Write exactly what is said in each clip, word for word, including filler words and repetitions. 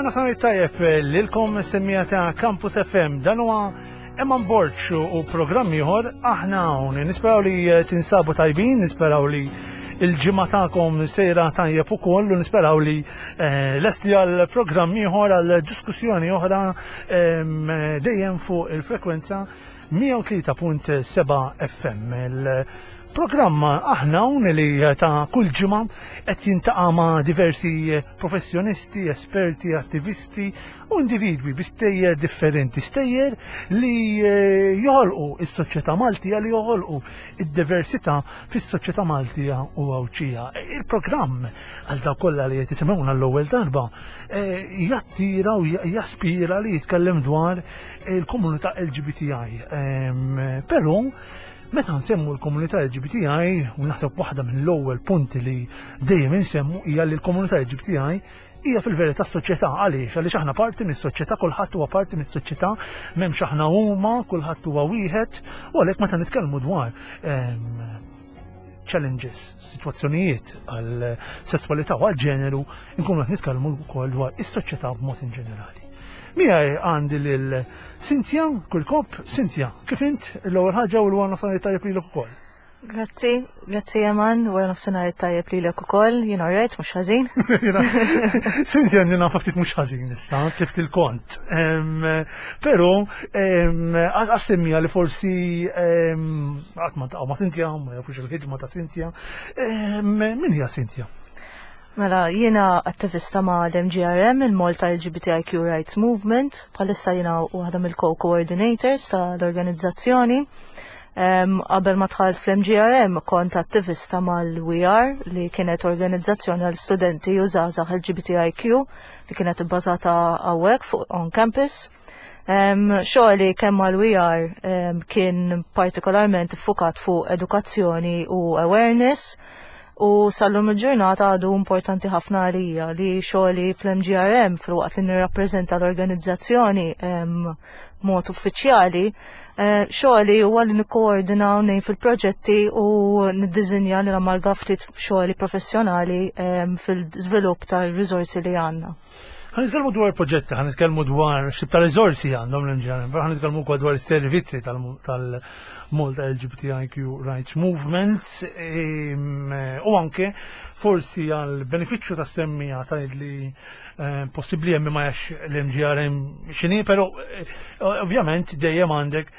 Nofsinhar tajjeb lilkom, semmiegħa ta' Campus F M. Dan huwa Eman Borg u programm ieħor, Aħna Hawn. Nisperaw li tinsabu tajbin, nisperaw li il-ġimgħa tagħkom sejra tajjeb ukoll u nisperaw li eh, lesti għal programm ieħor, għal diskussjoni oħra, dejjem fuq il-frekwenza mija u tlieta punt seba' F M. Il-programm Aħna Hawn li ta' kull ġimgħa qed jiltaqa' ma' diversi professjonisti, esperti, attivisti u individwi bi stejjer differenti, stejjer li eh, joħolqu is-soċjetà Maltija, li joħolqu id-diversità fis-soċjetà Maltija u Għawdxija. Il-programm, għal dawk kollha li qed jisimgħuna l-ewwel darba, eh, jattira u jaspira li jitkellem dwar il-komunità L G B T I. Però meta nsemmu l-komunità L G B T I, u naħseb waħda mill-ewwel punti li dejjem insemmu hija li l-komunità L G B T I hija fil-verità soċjetà. Għaliex? Għaliex aħna parti mis-soċjetà, kulħadd huwa parti mis-soċjetà, m'hemmx aħna huma, kulħadd huwa wieħed, u għalhekk meta nitkellmu dwar challenges, situazzjonijiet għal sessualità u għal ġeneru, nkunu qed nitkellmu wkoll dwar is-soċjetà b'mod in ġenerali. Miegħi għandi lil Cynthia Kirkop. Cynthia, kif int, l-ewwel ħaġa, u l-wara nofsinhar tajjeb lilek ukoll? Grazzi, grazzi Eman, wara nofsinhar tajjeb lilek ukoll, jien alright, mhux ħażin. Cynthia jien ftit mhux ħażin issa, tlift il-kont. Però għas-semmiegħa li forsi qatt ma ltaqgħu ma' Cynthia, ma jafux il-ħidma ta' Cynthia. Min hija Cynthia? Mela, jiena attivista ma' l-M G R M, il-Malta L G B T I Q Rights Movement, bħalissa jiena waħda mill-co-coordinators tal-organizzazzjoni. Qabel ma dħalt fl-M G R M kont attivista mal-We Are, li kienet organizzazzjoni għal studenti u żgħażagħ L G B T I Q li kienet ibbażata hawnhekk fuq on campus. Xogħli kemm mal-We Are kien partikolarment iffukat fuq edukazzjoni u awareness u sal-lum il-ġurnata għadu importanti ħafna għalija li xogħli fl-M G R M, filwaqt li nirrappreżenta l-organizzazzjoni mod uffiċjali, eh, xogħli huwa li nikkoordina u ngħin fil-proġetti u niddiżinja li namalga ftit xogħli professjonali fil-żvilupp tal-riżorsi li għandna. Ħa nitkellmu dwar proġetti, ħa nitkellmu dwar x'tip ta' riżorsi għandhom l-M G R M, ħa nitkellmu wkoll dwar is-servizzi tal-Malta L G B T I Q Rights Movement u anke forsi għal benefiċċju ta' semmiegħa ta' li eh, possibbli hemm ma jafx l-M G R M x'inhi, però eh, ovvjament dejjem għandek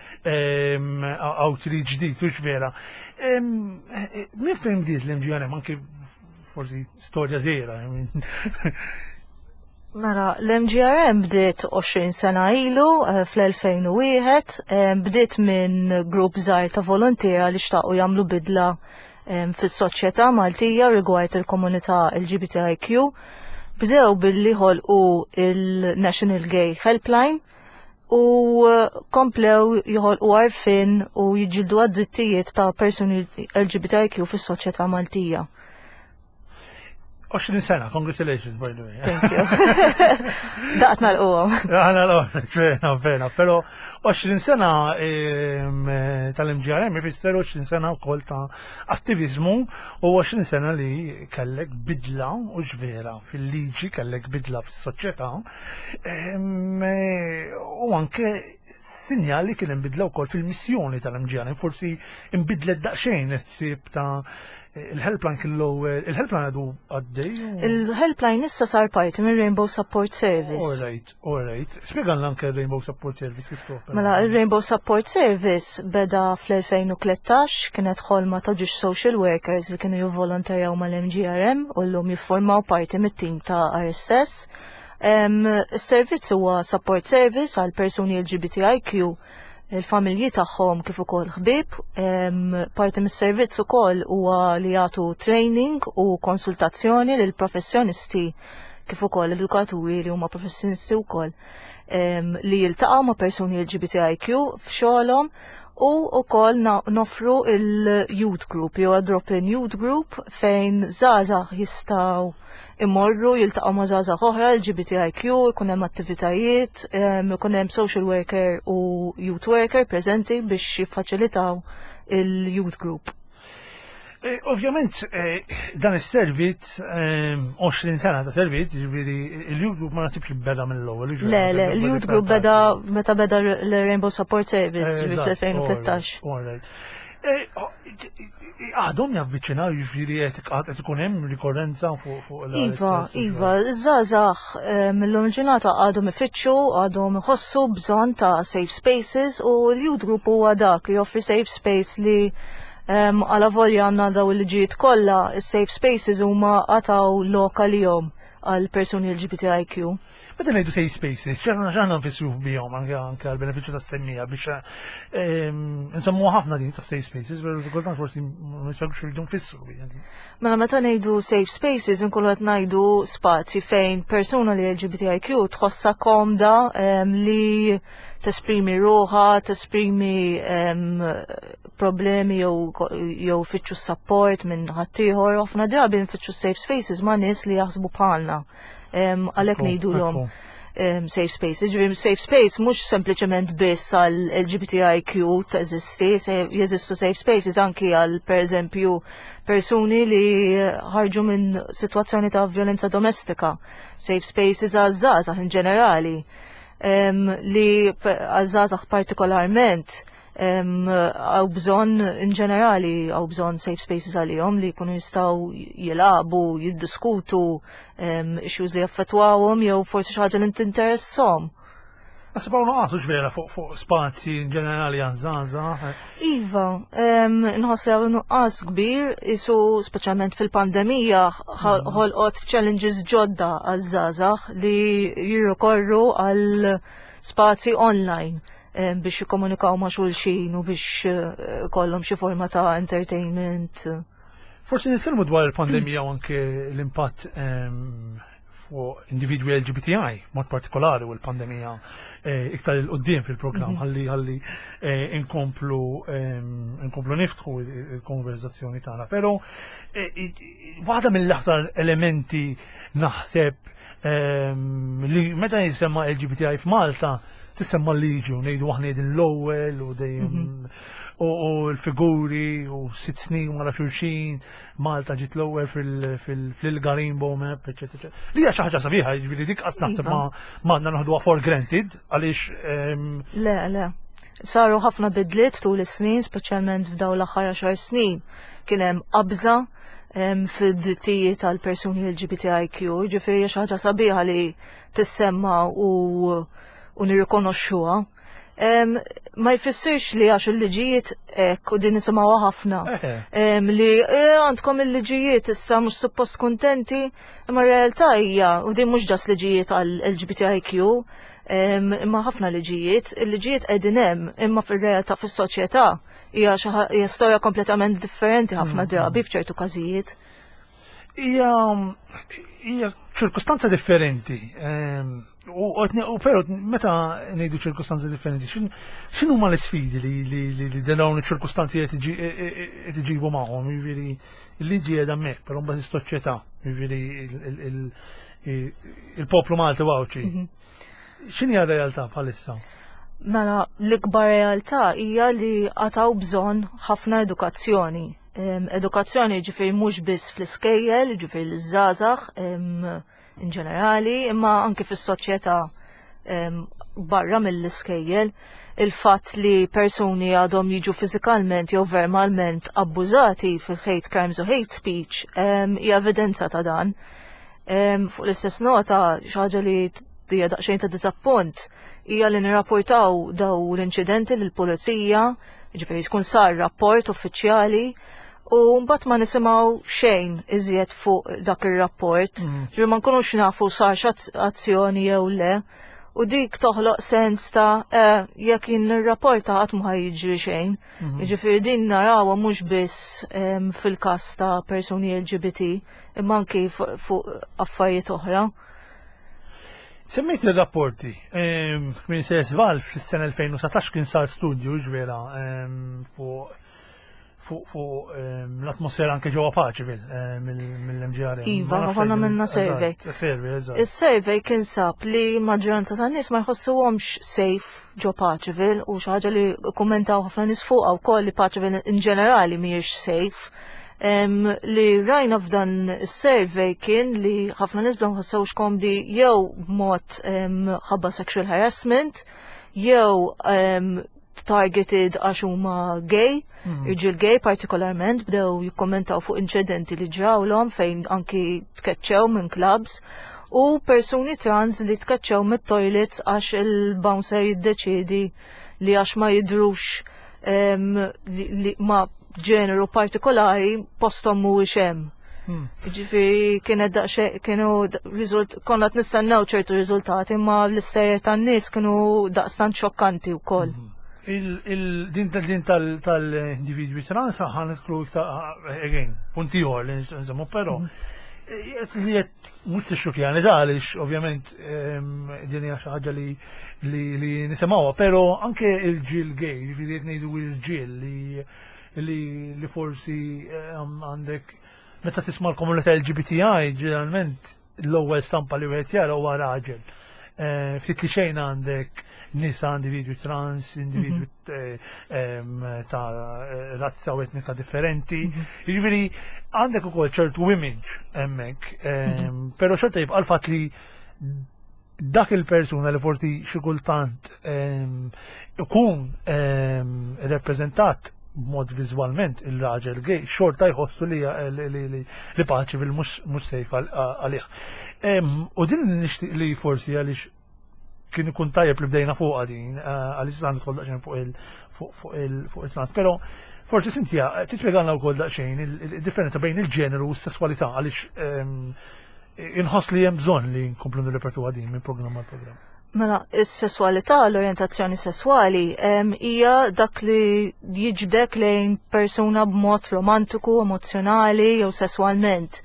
outreach ġdid, hux vera? Min fejn bdiet l-M G R M, anke forsi storja żgħira? Mela, l-M G R M bdiet għoxrin sena ilu, eh, fl-elfejn u wieħed, eh, bdiet minn grupp żgħir ta' volontiera li xtaqu jagħmlu bidla eh, fis-soċjetà Maltija rigward il-komunità L G B T I Q. Bdew billi ħolqu il-National Gay Helpline u komplew joħolqu għarfien u jiġġieldu għad-drittijiet ta' persuni L G B T I Q fis-soċjetà Maltija. għoxrin sena, congratulations, by the way. Thank you. Daqt nagħlquhom. Għana l vera, vera, pero għoxrin sena tal-M G R M ifisser għoxrin sena wkoll ta' attivizmu u għoxrin sena li kellek bidla, u vera, fil-liġi, kellek bidla fis-soċjetà u anke sinjali kien bidla wkoll fil-missjoni tal-M G R M, forsi imbidlet daqsxejn ħsieb ta' il-helpline kien l-ewwel, il-helpline għadu għaddej? Il-helpline issa sar parti minn Rainbow Support Service. All right, all right. Spjegalna anke Rainbow Support Service kif topera. Mela, il-Rainbow Support Service beda fl-elfejn u tlettax, kienet ħolma ta' ġiex social workers li kienu jivvolontarjaw mal-M G R M u llum jiffurmaw parti mit-tim ta' R S S. Is-servizz huwa support service għal persuni L G B T I Q, il-familji tagħhom kif ukoll ħbieb. Parti mis-servizz ukoll huwa li jagħtu training u konsultazzjoni lil professjonisti kif ukoll edukaturi li huma professjonisti wkoll li jiltaqgħu ma' persuni L G B T I Q f'xogħolhom, u wkoll noffru il-youth group jew drop-in youth group fejn żgħażagħ jistgħu imorru jiltaqgħu ma' żgħażagħ oħra L G B T I Q, ikun hemm attivitajiet, ikun hemm social worker u youth worker preżenti biex jiffaċilitaw il-youth group. Eh, ovvjament, eh, dan is-servizz, għoxrin sena ta' servizz, ġifieri il-Youth Group ma nasibx li beda mill-ewwel. Le, le, il-Youth Group beda meta beda l-Rainbow Support Service fl-elfejn u tlettax. Għadhom javviċinaw, ġifieri qed ikun hemm rikorrenza fuq fuq Iva, iva, żgħażagħ mill-lum ġurnata għadhom ifittxu, għadhom iħossu bżonn ta' safe spaces u l-Youth Group huwa dak li joffri safe space li għala volja għandna daw il-liġijiet kollha, is-safe spaces huma għataw lok għalihom għal persuni L G B T I Q. Meta ngħidu safe spaces, x'aħna x'aħna nfissru bihom anke anke għal benefiċċju tas-semmiegħa biex nsemmu ħafna din ta' safe spaces, pero kultant forsi ma nispjegux x'irridu nfissru bih. Mela, meta ngħidu safe spaces inkunu qed ngħidu spazji fejn persuna li L G B T I Q tħossha komda li tesprimi ruħha, tesprimi problemi jew jew fittxu support minn ħaddieħor. Ħafna drabi nfittxu safe spaces ma' nies li jaħsbu bħalna. Għalhekk ngħidulhom safe space. Ġifieri safe space mhux sempliċement biss għal L G B T I Q teżisti, jeżistu safe spaces anki għal, pereżempju, persuni li ħarġu minn sitwazzjoni ta' violenza domestika, safe spaces għal żgħażagħ in ġenerali, li għal żgħażagħ partikolarment hawn bżonn, in ġenerali hawn bżonn safe spaces għalihom li jkunu jistgħu jilagħbu, jiddiskutu issues li jaffettwawhom jew forsi xi ħaġa li tinteressahom. Naħseb hawn nuqqas vera fuq fuq spazji in ġenerali għaż-żgħażagħ. Iva, nħoss li hawn nuqqas kbir, isu speċjalment fil-pandemija ħolqot challenges ġodda għaż-żgħażagħ li jirrikorru għal spazji online biex jikkomunikaw ma' xulxin u biex eh, kollhom xi forma ta' entertainment. Forsi nitkellmu dwar il-pandemija u anke l-impatt fuq individwi L G B T I, mod partikolari, u l-pandemija eh, iktar 'il quddiem fil-programm mhm. ħalli ħalli eh, inkomplu inkomplu niftħu il-konverzazzjoni tagħna. Però waħda mill-aktar elementi naħseb li meta jisemma L G B T I f'Malta tissemma liġi u ngħidu aħna din l-ewwel u dejjem mhm. u l-figuri u sitt snin wara xulxin Malta ġiet l-ewwel fil-I L G A Rainbow Map, eċetera. Li hija xi ħaġa sabiħa, jiġifieri dik qatt naħseb ma m'għandna noħduha for granted għaliex Le, le. Saru ħafna bidliet tul is-snin, speċjalment f'dawn l-aħħar għaxar snin. Kien hemm qabża fid-drittijiet tal-persuni L G B T I Q, ġifieri xi ħaġa sabiħa li tissemma u u nirrikonoxxuha. Ma jfissirx li għax il-liġijiet hekk, u din nisimgħuha ħafna. Li e, għandkom il-liġijiet issa, mhux suppost kontenti, imma realtà hija, u din mhux just liġijiet għal L G B T I Q, imma ħafna liġijiet, il-liġijiet qegħdin hemm, imma fir-realtà fis-soċjetà hija hija storja kompletament differenti ħafna mm. drabi f'ċertu każijiet. Hija hija ċirkustanza differenti. U pero meta ngħidu ċirkustanzi differenti, x'inhu ma l-isfidi li li dawn iċ-ċirkustanzi qed iġibu magħhom? Jiġifieri il-liġi qiegħda hemmhekk, però mbagħad is-soċjetà, jiġifieri il-poplu Malti Għawdxi. Mhm. X'inhi r-realtà bħalissa? Mela, l-ikbar realtà hija li għad hawn bżonn ħafna edukazzjoni. Edukazzjoni ġifieri mhux biss fl-iskejjel, ġifieri l-żgħażagħ in ġenerali, imma anki fis-soċjetà barra mill-iskejjel. Il-fatt li persuni għadhom jiġu fiżikalment jew verbalment abbużati fil-hate crimes u hate speech hija evidenza ta' dan. Fuq l-istess nota, xi ħaġa li hija daqsxejn ta' diżappunt hija li nirrapportaw daw l-inċidenti lill-pulizija, ġifieri tkun sar rapport uffiċjali u mbagħad ma nisimgħu xejn iżjed fuq dak ir-rapport. Mm. Ġifieri ma nkunux nafu sar azzjoni jew le. U dik toħloq sens ta' eh, jekk jien nirrapporta qatt ma jiġri xejn. Mhm. Jiġifieri din narawha mhux biss fil-każ ta' persuni L G B T, imma anki fuq affarijiet oħra. Semmejt il-rapporti, minn Sesval fis-sena elfejn u dsatax kien sar studju ġvera fuq fuq l-atmosfera anke ġewwa Paceville mill-M G R M. Iva, konna minna survey. Survey, eżatt. Is-survey kien sab li maġġoranza tan-nies ma jħossuhomx safe ġo Paceville u xi ħaġa li kummentaw ħafna nies fuqha wkoll li Paceville in ġenerali mhijiex safe. Em, li rajna f'dan is-survey kien li ħafna nies bla ħossewx komdi jew b'mod em, ħabba sexual harassment, jew em, targeted għax huma gay, irġiel gay partikolarment bdew jikkommentaw fuq inċidenti li ġrawlhom fejn anki tkeċċew minn clubs u persuni trans li tkeċċew mit-toilets għax il-bouncer jiddeċidi li għax ma jidrux em, li, li ma ġeneru partikolari postom mhuwiex hemm. Hmm. Ġifieri kienet daqsxejn kienu d- riżult konna qed nistennew ċertu riżultati, imma l-istejjer tan-nies kienu daqstant xokkanti wkoll. Il, il, din tal din tal tal-individwi trans ħa nidħlu iktar, again, punt ieħor li nsemmu, però eh, li qed mhux tixxukjani da għaliex ovvjament em, din hija xi ħaġa li li li nisimgħuha, però anke il-ġil gay, jiġifieri qed ngħidu il-ġil li li li forsi em, għandek meta tisma' l-komunità L G B T I, ġeneralment l-ewwel stampa li wieħed jara huwa raġel. Eh, Ftit li xejn għandek nisa, individwi trans, individwi eh, em, ta' eh, razza u etnika differenti. Jiġifieri għandek ukoll ċertu image hemmhekk, em, però xorta jibqa' l-fatt li dak il-persuna li forsi xi kultant em, ikun em, rappreżentat b'mod viżwalment il-raġel gay, xorta jħossu li li li li, li Paceville mhux mhux safe għal- għalih. Em, U din nixtieq li forsi għaliex kien ikun tajjeb li bdejna fuqha din, eh, għaliex sa nidħol daqsxejn fuq il fuq fuq il fuq il-trans, però forsi Cynthia tispjegalna wkoll daqsxejn il- il-differenza bejn il-ġeneru u s-sesswalità, għaliex em, inħoss li hemm bżonn li nkomplu nirrepetu din minn programm għal programm. Mela, is-sesswalità, l-orjentazzjoni sesswali, em, hija dak li jiġbdek lejn persuna b'mod romantiku, emozjonali jew sesswalment.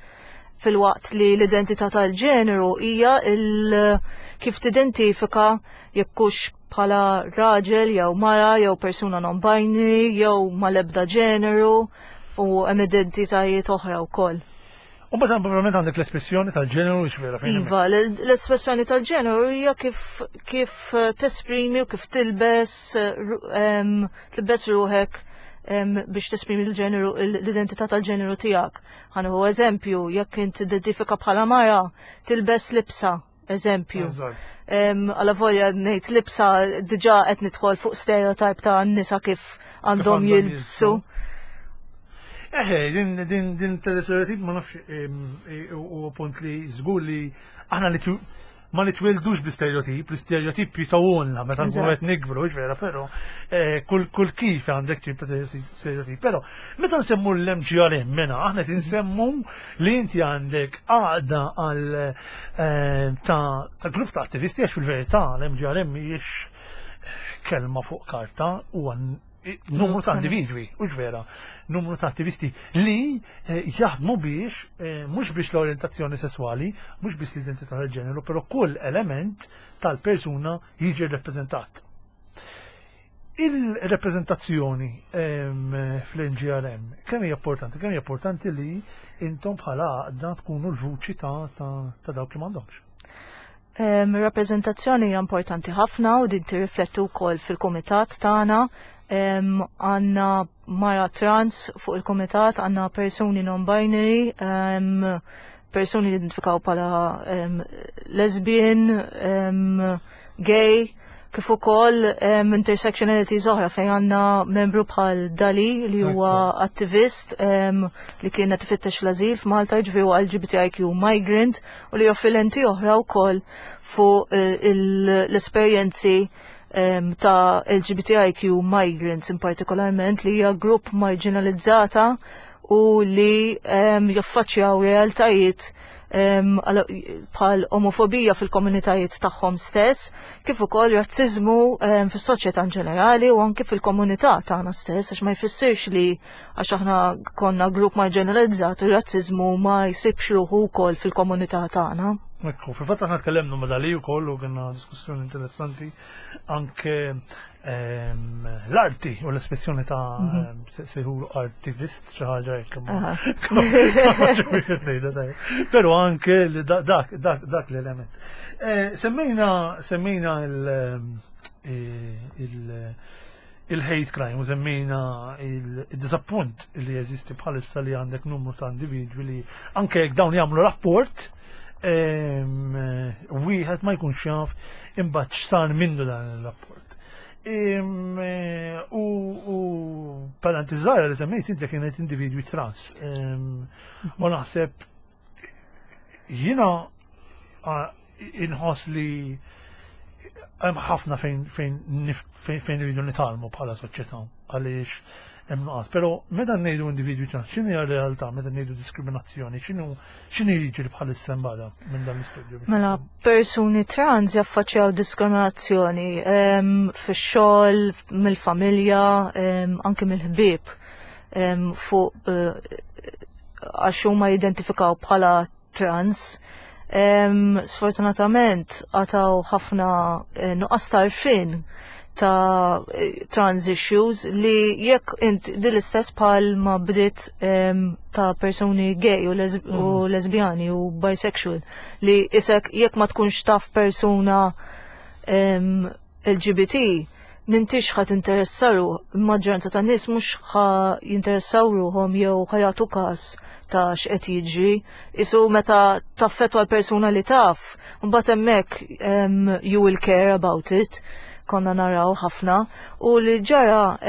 Filwaqt li l-identità tal-ġeneru hija il kif tidentifika jekk hux bħala raġel jew mara jew persuna non-binary jew mal-ebda ġeneru u hemm identitajiet oħra wkoll. U mbagħad ovvjament għandek l-espressjoni tal-ġeneru vera fejn Iva, l- l-espressjoni tal-ġeneru hija kif kif eh, tesprimi u kif tilbes eh, ru- em, tilbes ruħek em, biex tesprimi l-ġeneru, l-identità tal-ġeneru tiegħek. Ħa nieħu eżempju, jekk int identifika bħala mara, tilbes libsa, eżempju. Eżatt. Em, Għala volja ngħid libsa diġà qed nidħol fuq stereotype ta' nisa kif għandhom għandhom jilbsu. Eħe, din din din tal-stereotip ma nafx em, e, u punt li żgur li aħna li tu- ma nitwildux bi-stereotip, l-stereotip jitawulna meta nkunu Eżatt. qed nikbru, vera, però eh, kull kull kif għandek tip ta' stereotip. Però meta nsemmu l-M G R M mena, aħna qed insemmu li inti għandek għaqda għal eh, ta' ta' grupp ta' attivisti, għax fil-verità l-M G R M mhijiex kelma fuq karta, u għan numru ta' individwi, u vera, numru ta' attivisti li eh, jaħdmu biex, eh, mhux biex l-orientazzjoni sessuali, mhux biex l-identità tal-ġeneru, però kull element tal-persuna jiġi rappreżentat. Il-rappreżentazzjoni em, fl-M G R M, kemm hija importanti? Kemm hija importanti li intom bħala għaqda tkunu l-vuċi ta', ta, ta' dawk li m'għandhomx? Em, Rappreżentazzjoni hija importanti ħafna u din tirrifletti wkoll fil-kumitat tagħna. Em, Għandna mara trans fuq il-kumitat, għandna persuni non-binary, em, persuni li identifikaw bħala em, lesbian, em, gay, kif ukoll um, intersectionalities oħra fejn għandna membru bħal Dali li huwa attivist um, li kien qed ifittex l-azil f'Malta, ġifieri huwa L G B T I Q migrant u li joffri lenti oħra wkoll fuq eh, il- l-esperjenzi um, ta' L G B T I Q migrants in partikolarment, li hija grupp marginalizzata u li um, jaffaċċjaw realtajiet um, għal- bħal omofobija fil-komunitajiet tagħhom stess, kif ukoll razziżmu um, fis-soċjetà in ġenerali u anke fil-komunità tagħna stess, għax ma jfissirx li għax aħna konna grupp marginalizzat ir-razziżmu ma jsibx ruħu wkoll fil-komunità tagħna. Ekku, fil-fatt aħna tkellimna ma' Dali wkoll u kienna diskussjoni interessanti anke ehm, l-arti u l-espressjoni ta' ehm, se- sejħulu artivist xi ħaġa hekk imma- Aha. Però anke li da- dak dak dak l-element. Eh, Semmejna semmejna il- eh, il il-hate crime u semmejna il-disappunt li jeżisti bħalissa li għandek numru ta' individwi li anke jekk dawn jagħmlu rapport, wieħed ma jkunx jaf imbagħad x'sar minnu dan il-rapport. U parentesi żgħira li semmejt inti kienet individwi trans. U naħseb jiena inħoss li hemm ħafna fejn fejn fejn iridu nitgħallmu bħala soċjetà għaliex hemm nuqqas. Però meta ngħidu individwi trans, x'inhi r-realtà meta ngħidu diskriminazzjoni, x'inhu x'inhi jiġri bħalissa mbagħad minn dan l-istudju? Mela, persuni trans jaffaċċjaw diskriminazzjoni fix-xogħol, mill-familja, anke mill-ħbieb fuq eh, għax huma jidentifikaw bħala trans. Sfortunatament għad hawn ħafna eh, nuqqas t'għarfien ta' eh, trans issues li jekk int din l-istess bħal ma bdiet ta' persuni gay u, les u mm. lesbjani u bisexual li isek jekk ma tkunx taf persuna L G B T m'intix ħa tinteressaru, maġġoranza ta' nies mhux ħa jinteressaw ruhom jew ħa jagħtu każ ta' x'qed jiġri. Isu meta taffetwa l-persuna li taf, mbagħad hemmhekk you will care about it, konna naraw ħafna. U li ġara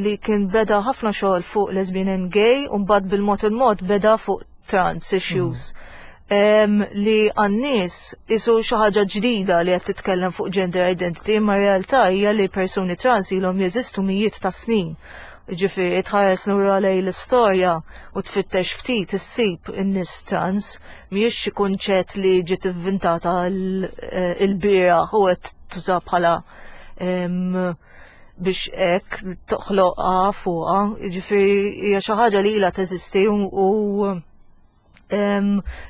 li kien beda ħafna xogħol fuq lesbian and gay u mbagħad bil-mod il-mod beda fuq trans issues. Mm li għan-nies isu xi ħaġa ġdida li qed titkellem fuq gender identity, ma realtà hija li persuni trans ilhom jeżistu mijiet ta' snin. Ġifieri tħares lura lejn l-istorja u tfittex ftit issib in-nies trans, mhijiex xi kunċett li ġiet ivvintata l-bieraħ u qed tuża bħala biex hekk toħloqha fuqha, ġifieri hija xi ħaġa li ilha teżisti u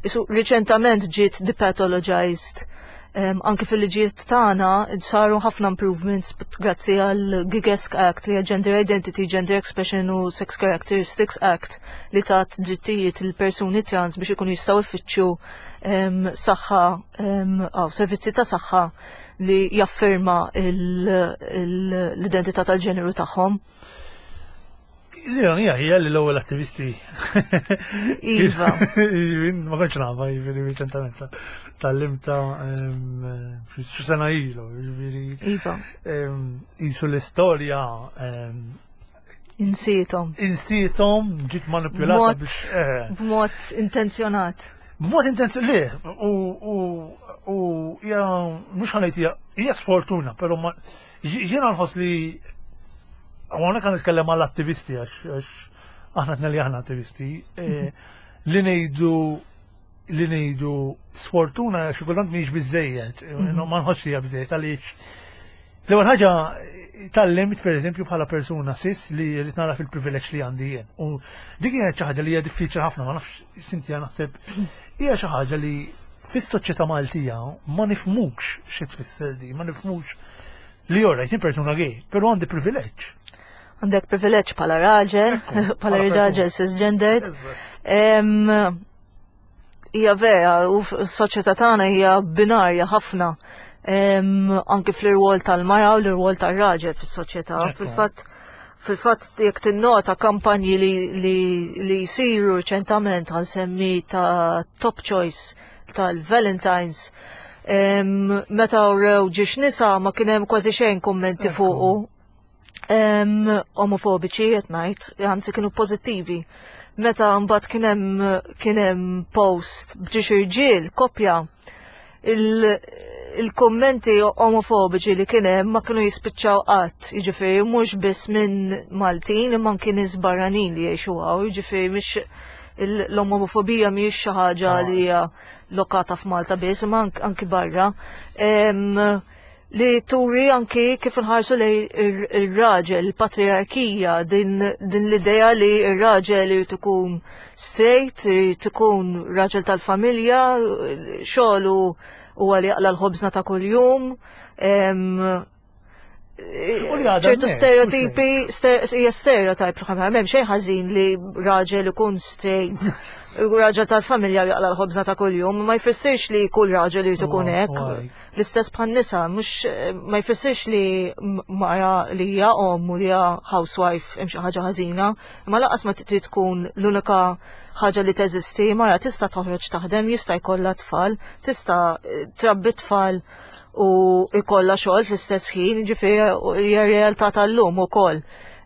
isu riċentament ġiet depathologized. Um, anki fil-liġijiet tagħna saru ħafna improvements grazzi għal GIGESC Act, li Gender Identity, Gender Expression u Sex Characteristics Act, li tat drittijiet il-persuni trans biex ikunu jistgħu jfittxu um, saħħa um, servizzi ta' saħħa li jaffirma l-identità tal-ġeneru tagħhom. L-ironija hija li l-ewwel attivisti. Iva. Ma kontx nafha, jiġifieri riċentement tgħallimtha xi sena ilu, jiġifieri. Iva. Isu l-istorja Insietom. Insietom, ġiet manipulata biex. Eh. B'mod intenzjonat. B'mod intenzjonat, le, u u hija mhux ħa ngħid hija sfortuna, però jiena nħoss li għana kan nitkellem għall-attivisti għax aħna tnejn li aħna attivisti, eh, li ngħidu li ngħidu sfortuna xi kultant mhijiex biżejjed, mhm. ma nħossx hija biżejjed għaliex l-ewwel ħaġa tgħallimt, pereżempju, bħala persuna cis li li nara fil-privileġġ li għandi jien. U dik kienet xi ħaġa li hija diffiċli ħafna, ma nafx Cynthia, naħseb hija xi ħaġa li fis-soċjetà Maltija ma nifhmux xi tfisser di, ma nifhmux li ora jien persuna gay, però għandi privileġġ. Għandek privileġġ bħala raġel, bħala raġel cisgendered. Hija vera, u s-soċjetà tagħna hija binarja ħafna. Anki fl-irwol tal-mara u l-irwol tal-raġel fis-soċjetà. Fil-fatt fil-fatt jekk tinnota kampanji li, li, li jsiru reċentament, ħa nsemmi ta' Top Choice tal-Valentines, meta urew ġiex nisa ma kien hemm kważi xejn kummenti fuqu omofobiċi qed ngħid, anzi kienu pożittivi. Meta mbagħad kien hemm kien hemm post b'ġiex irġiel kopja, il-kommenti omofobiċi li kien hemm ma kienu jispiċċaw qatt, jiġifieri mhux biss minn Maltin imma anki nies barranin li jgħixu hawn, jiġifieri mhix l-omofobija mhijiex xi ħaġa ah. li hija lokata f'Malta biss, imma anki barra. Li turi anki kif nħarsu li il-raġel, il-patriarkija, din, din l-idea li il-raġel irid ikun straight, irid ikun raġel tal-familja, xogħlu huwa li jaqla l-ħobżna ta' kuljum, U li għadha ċertu hemmhekk, stereotipi, hija stereotype, m'hemm xejn ħażin li raġel ikun straight, raġel tal-familja jaqla l-ħobża ta' kuljum, ma jfissirx li kull raġel irid ikun Huwa- hekk. huwa hekk. L-istess bħan nisa, mhux ma jfissirx li m- mara li hija omm u li hija housewife hemm xi ħaġa ħażina, imma lanqas ma trid tkun l-unika ħaġa li teżisti, mara tista' toħroġ taħdem, jista' jkollha tfal, tista' eh, trabbi tfal u jkollha xogħol fl-istess ħin, ġifieri hija realtà tal-lum ukoll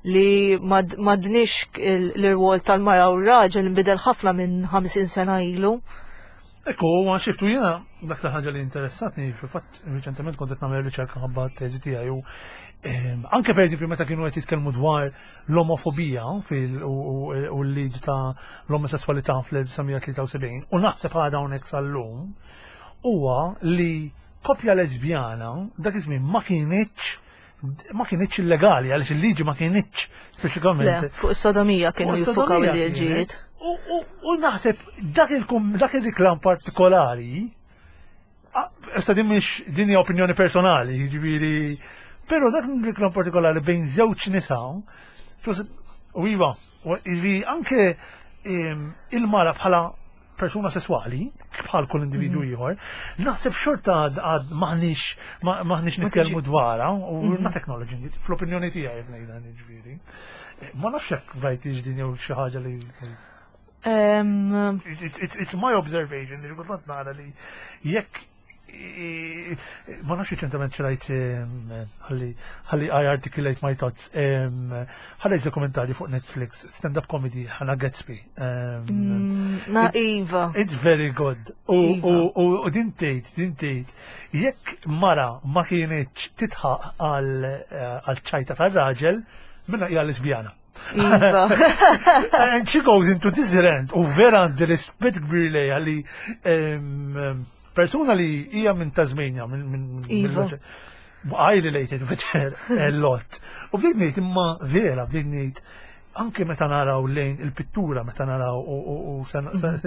li mad- m'għadniex l-irwol tal-mara u r-raġel nbidel ħafna minn ħamsin sena ilu. Ekku, ma xiftu jena, dak ħaġa li interessatni, fil-fatt, reċentement kont qed nagħmel riċerka ħabba t-teżi tiegħi u ehm, anke per eżempju meta kienu qed jitkellmu dwar l-omofobija fil u u- u l-liġi ta' l-omosessualità fl-elf disa' mija tlieta u sebgħin u naħseb għadha hawnhekk sal-lum huwa li koppja lesbjana dak iż-żmien ma kienitx ma kienitx illegali għaliex il-liġi ma kienitx Le, speċifikament fuq is-sodomija kienu U jiffukaw s-sodomija il-liġijiet. kienet. U u- u naħseb dak il-kum- dak il-reklam partikolari, ah, issa din mhix, din hija opinjoni personali, jiġifieri, però dak il-reklam partikolari bejn żewġ nisa, forse- u iva, u jiġifieri anke em, il-mara bħala persuna sessuali, bħal kull individu ieħor, naħseb xorta għad għad maħniex ma- maħniex Ma nitkellmu tiġi- dwarha u we're not acknowledging it, fl-opinjoni tiegħi qed ngħidha, jiġifieri. Ma nafx jekk rajtix din jew xi ħaġa li Em, it's, it's, it's my observation li kultant nara li jekk i- ma nafx ċentament xrajt, ħalli ħalli I articulate my thoughts, ħallejt dokumentarju fuq Netflix, stand-up comedy, Hannah Gadsby. Em, mm, Na Iva. It's very good. U, Iva. u, u, u din tgħid, din tgħid, jekk mara ma kienitx titħaq għal eh, għal ċajta tar-raġel, minna hija lesbjana. Iva. And she goes into this rant u vera għandi rispett kbir lejha li em, em, persuna li hija minn Tasmania, minn minn Iva. minn I related with her a lot. U bdejt ngħid imma vera, bdejt ngħid anke meta naraw lejn il-pittura, meta naraw u, u, u sen, sen,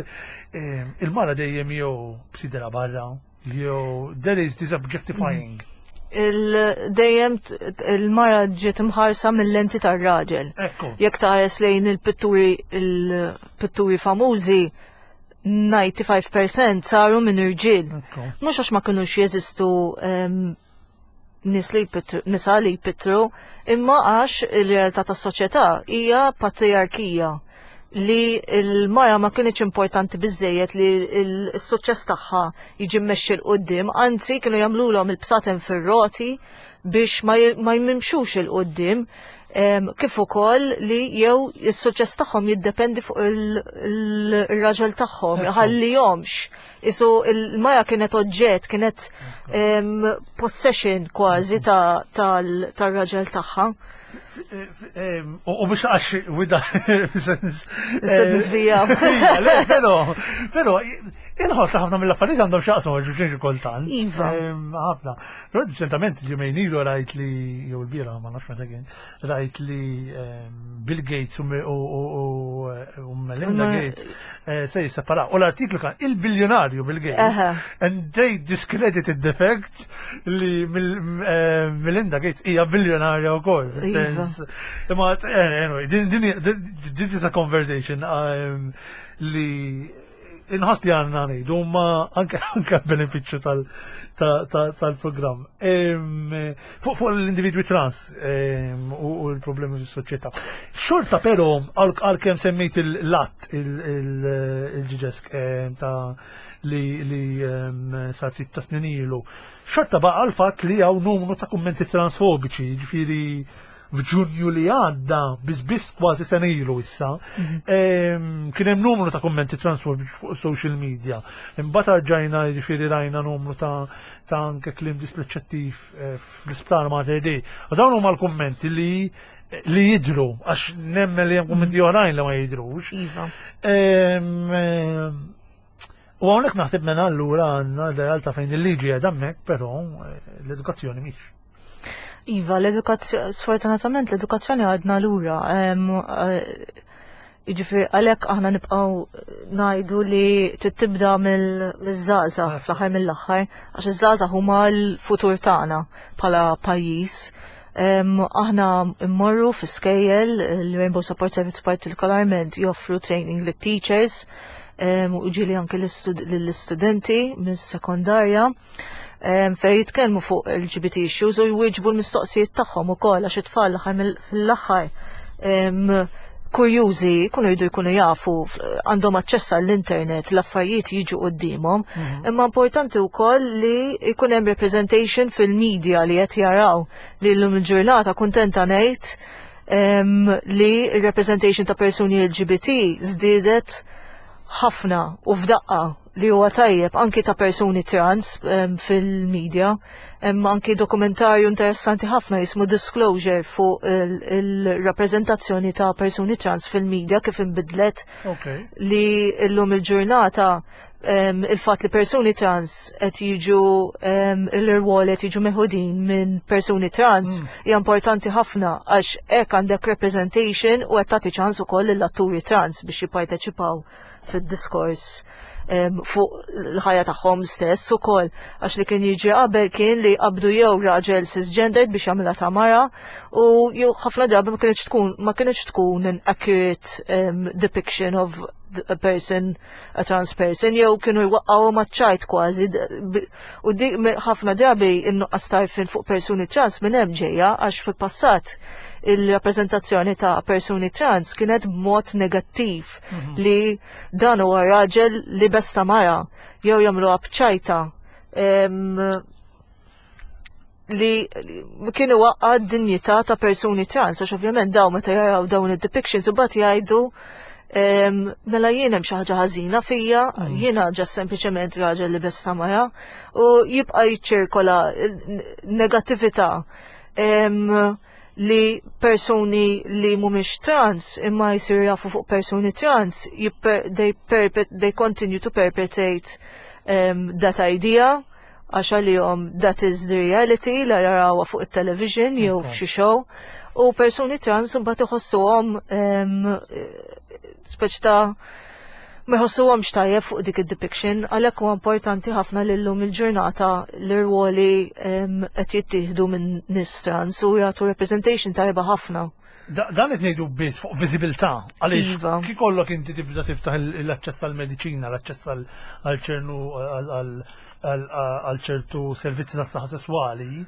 em, il-mara dejjem jew b'sidra barra, jew there is this objectifying. Il-dejjem t- il-mara ġiet imħarsa mill-lenti tar-raġel. Ekku. Jekk tħares lejn il-pitturi il-pitturi famużi, disgħa u disgħin fil-mija saru minn irġiel. Ekku. Mhux għax ma kinux jeżistu em, nies li jpittru, nisa li jpittru, imma għax il-realtà tas-soċjetà hija patriarkija li l-mara ma kienx importanti biżejjed li l-suċċess tagħha jiġi mmexxi 'l quddiem, anzi kienu jagħmluhom il-bsaten fir-roti biex ma j- ma jmimxux 'il quddiem, em, kif ukoll li jew is-suċċess tagħhom jiddependi fuq il- il- ir-raġel tagħhom, ħallihomx. Isu il-mara kienet oġġett, kienet em, possession kważi ta' tal- tar-raġel tagħha. Em, U u mhux għax wida sens. Issa nisbija. Le, pero, pero, inħoss li ħafna mill-affarijiet għandhom x'jaqsmu għal xulxin kultant. Iva. Em, Ħafna. Però ċertament ġimgħejn ilu rajt li, jew il-bieraħ, ma nafx meta kien, rajt li em, Bill Gates u u- u- u Melinda Ma- Gates eh, se jisseparaw. U l-artiklu kan il-biljonarju Bill Gates. Aha. And they discredited the fact li Mil- eh, Melinda Gates hija biljonarja wkoll. Iva. Sens, imma eh, anyway, din, din, this is a conversation um, li inħoss li għandna ngħidu ma anke anke benefiċċju tal ta- ta- tal-programm. Em, Fuq fuq l-individwi trans em, u u l-problemi fis-soċjetà. Xorta però għal għalkemm semmejt il-lat il-ġiġesk ta' li li em, sar sitt ta' snin ilu. Xorta baqa l-fatt li hawn numru ta' kummenti transfobiċi, ġifieri f'Ġunju li għadda, biss kważi sena ilu issa, em, kien hemm numru ta' kummenti transfobiċi fuq social media. Imbagħad rġajna, jiġifieri rajna numru ta' ta' anke kliem dispreċettiv eh, fl-isptar Mater Dei. U dawn huma l-kummenti li li jidru, għax nemmen li hemm kummenti oħrajn li ma jidrux. Iva. Em, em, U hawnhekk naħseb minn allura għandna realtà fejn il-liġi qiegħda hemmhekk, però eh, l-edukazzjoni mhix. Iva, l-edukazzjoni, sfortunatament l-edukazzjoni għadna lura. Em, eh, Jiġifieri għalhekk aħna nibqgħu ngħidu li tibda mill-żgħażagħ fl-aħħar mill-aħħar, għax iż-żgħażagħ huma l-futur tagħna bħala pajjiż. Em, aħna mmorru fi skejjel, il-Rainbow Support Service partikolarment joffru training lit teachers em, u ġieli anke lill-istudenti minn sekondarja em, fej jitkellmu fuq L G B T issues u jwieġbu l-mistoqsijiet tagħhom ukoll, għax it-tfal l-aħħar mill- fl-aħħar em, kurjużi, jkunu jridu jkunu jafu, f- għandhom aċċess għall-internet, l-affarijiet jiġu quddiemhom. Imma importanti wkoll li jkun hemm representation fil-media li qed jaraw li llum il-ġurnata kuntenta ngħid em, li representation ta' persuni L G B T żdiedet ħafna u f'daqqa, li huwa tajjeb, anki ta' persuni trans em, fil-media. Hemm anki dokumentarju interessanti ħafna jismu Disclosure fuq il-rappreżentazzjoni ta' persuni trans fil-media kif inbidlet, Ok. li llum il-ġurnata em, il-fatt li persuni trans qed jiġu em, l-irwol qed jiġu meħudin minn persuni trans hija importanti ħafna, għax hekk għandek representation u qed tagħti ċans ukoll lill-atturi trans biex jipparteċipaw fid-diskors em, fuq l-ħajja tagħhom stess ukoll, għax li kien jiġi qabel kien li qabdu jew raġel cisgendered biex jagħmilha ta' mara u jew ħafna drabi ma kienx tkun ma kienx tkun an accurate um, depiction of a person, a trans person, jew kienu jwaqqgħu maċ-ċajt kważi. d- b- U di me- ħafna drabi in-nuqqas t'għarfien fuq persuni trans minn hemm ġejja, għax fil-passat il-rappreżentazzjoni ta' persuni trans kienet b'mod negattiv, li dan huwa raġel li libes ta' mara, jew jagħmluha b'ċajta em, li li kienu waqqa d-dinjità ta' persuni trans, għax ovvjament daw meta jaraw dawn id-depictions u bat jgħidu em, mela jien hemm xi ħaġa ħażina fija, jiena ġas sempliċement raġel li libes ta' mara, u jibqa' jiċċirkola negattività em, li persuni li mhumiex trans imma jisiru jafu fuq persuni trans, jipper, they, perpet, they continue to perpetrate um, that idea, għax għalihom that is the reality la jarawha fuq it-television jew f'xi show, u persuni trans mbagħad iħossuhom um, speċi ta' ma jħossuhomx tajjeb fuq dik id-depiction. Għalhekk huwa importanti ħafna li llum il-ġurnata l-irwoli em, qed jittieħdu minn nies trans u jagħtu representation tajba ħafna. Da- Dan qed ngħidu biss fuq viżibilità, għaliex Iva. kif kollok inti tibda tiftaħ il- l-aċċess għall-mediċina, l-aċċess għal- għal ċernu għal- għal- għal għal ċertu servizzi tas saħħa sesswali,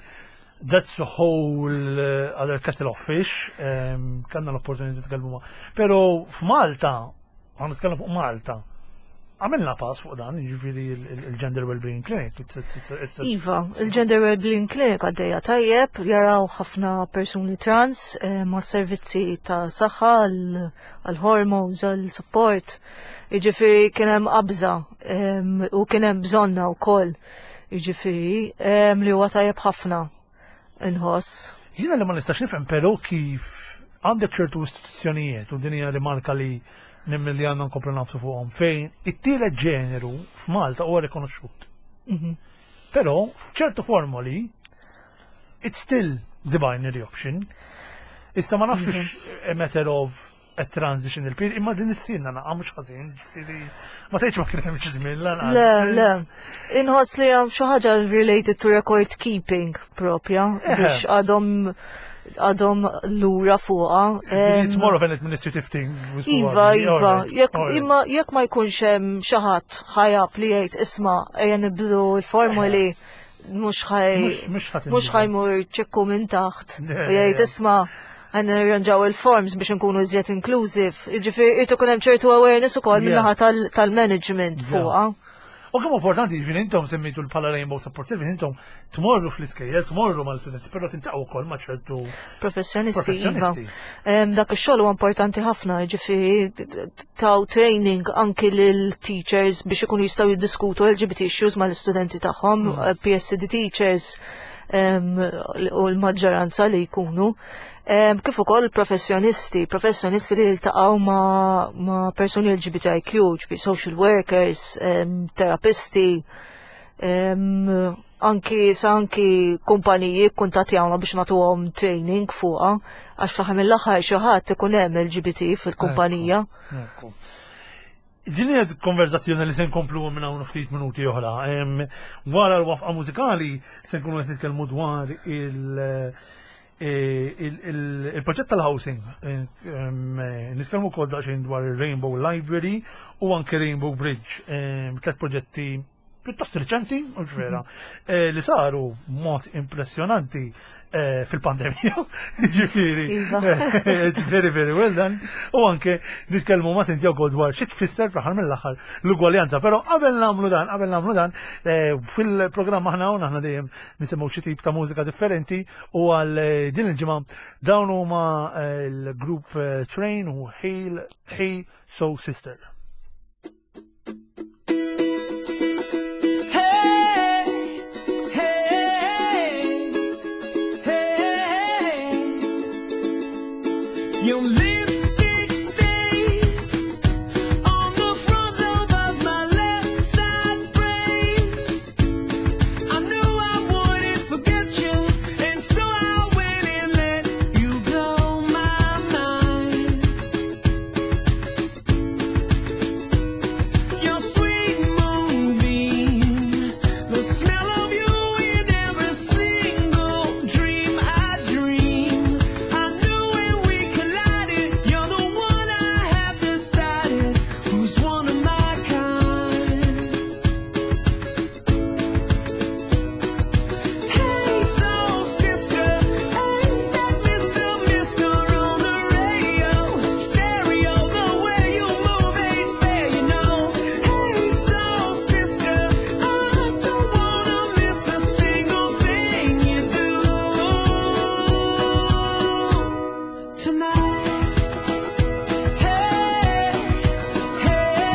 that's a whole uh, other kettle of fish, um, kellna l-opportunità nitkellmu ma. Pero f'Malta, ħa nitkellem fuq Malta, għamilna pass fuq dan, jiġifieri il-Gender Wellbeing Clinic. It's, it's, it's, it's a, Iva, il-Gender Wellbeing Clinic għaddejja tajjeb, jaraw ħafna persuni trans eh, ma' servizzi ta' saħħa, għal-hormones, għal-support. Jiġifieri kien hemm qabża em, u kien hemm bżonna wkoll. Jiġifieri em, li huwa tajjeb ħafna inħoss. Jiena li ma nistax nifhem però kif għandek ċertu istituzzjonijiet, u din hija rimarka li nemmen li għandna nkomplu nagħfsu fuqhom, fejn it-tielet ġeneru f'Malta huwa rikonoxxut. Mhm. Però f'ċertu formoli it's still the binary option. Issa ma nafx a matter of a transition il-period, imma din istinna naqa mhux ħażin, ġifieri ma tgħidx ma kien hemm xi żmien lanqas. Le, le. Inħoss li hemm xi ħaġa related to record keeping propja biex għadhom għadhom lura fuqha. It's more of an administrative thing. Iva, iva, jekk imma jekk ma jkunx hemm xi ħadd ħajab li jgħid, "Isma', ejja nibdlu l-formuli", mhux ħaj mhux ħa jmur ċekku minn taħt u jgħid, "Isma', ħa nirranġaw il-forms biex nkunu iżjed inclusive." Jiġifieri irid ikun hemm ċertu awareness ukoll min-naħa tal-management fuqha. U kemm importanti, ġifieri intom semmejtu l-pala Rainbow Support Service, intom tmorru fl-iskejjel, tmorru mal-studenti, però tiltaqgħu wkoll ma' ċertu professjonisti, iva. Dak ix-xogħol huwa importanti ħafna, ġifieri taw training anki lil teachers biex ikunu jistgħu jiddiskutu L G B T issues mal-istudenti tagħhom, mm. P S C D teachers u l-maġġoranza li jkunu. Kif ukoll professjonisti, professjonisti li jiltaqgħu ma', ma persuni L G B T I Q, ġifi social workers, terapisti, anki sa anki kumpaniji kuntatjawna biex nagħtuhom training fuqha, għax fl-aħħar mill-aħħar xi ħadd ikun hemm L G B T fil-kumpanija. Din hija konverzazzjoni li se nkomplu minn hawn ftit minuti oħra. Wara l-waqfa mużikali se nkunu qed nitkellmu dwar il- Il-proġett tal-housing, nitkellmu wkoll daqsxejn dwar il-Rainbow Library u anke Rainbow Bridge, tliet proġetti pjuttost riċenti, mhux vera, li saru mod impressjonanti fil-pandemija, ġifieri, it's very, very well done, u anke nitkellmu ma' Cynthia wkoll dwar xi tfisser fl-aħħar mill-aħħar l-ugwaljanza, però qabel nagħmlu dan, qabel nagħmlu dan, fil-programm aħna hawn aħna dejjem nisimgħu xi tip ta' mużika differenti u għal din il-ġimgħa dawn huma l-grupp Train u Hail Hey Soul Sister. Your lipstick stains on the front lobe of my left side brains. I knew I wouldn't forget you, and so I went and let you blow my mind. Your sweet moonbeam, the smell of you in every single dream I dream. I knew when we collided, you're the one I have decided who's one of my kind. Hey, soul sister, ain't that Mister Mister on the radio? Stereo, the way you move ain't fair, you know. Hey, soul sister, I don't wanna miss a single thing you do tonight. Hey, hey,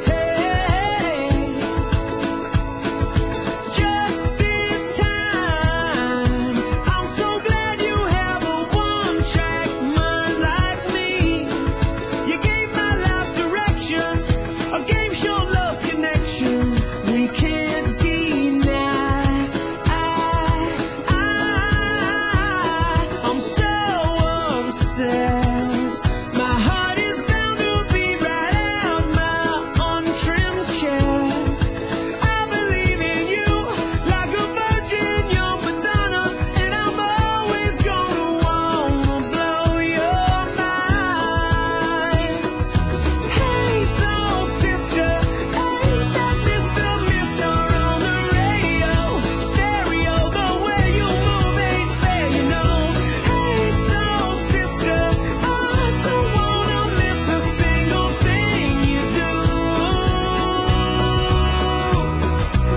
hey. Just in time. I'm so glad you have a one-track mind like me. You gave my life direction, a game show love connection. We can't deny. I, I, I'm so obsessed. My heart is bound to be right out my untrimmed chest. I believe in you like a virgin, young Madonna, and I'm always gonna wanna blow your mind. Hey, soul sister, ain't that Mister Mister on the radio? Stereo, the way you move ain't fair, you know. Hey, soul sister, I don't wanna miss a single thing you do.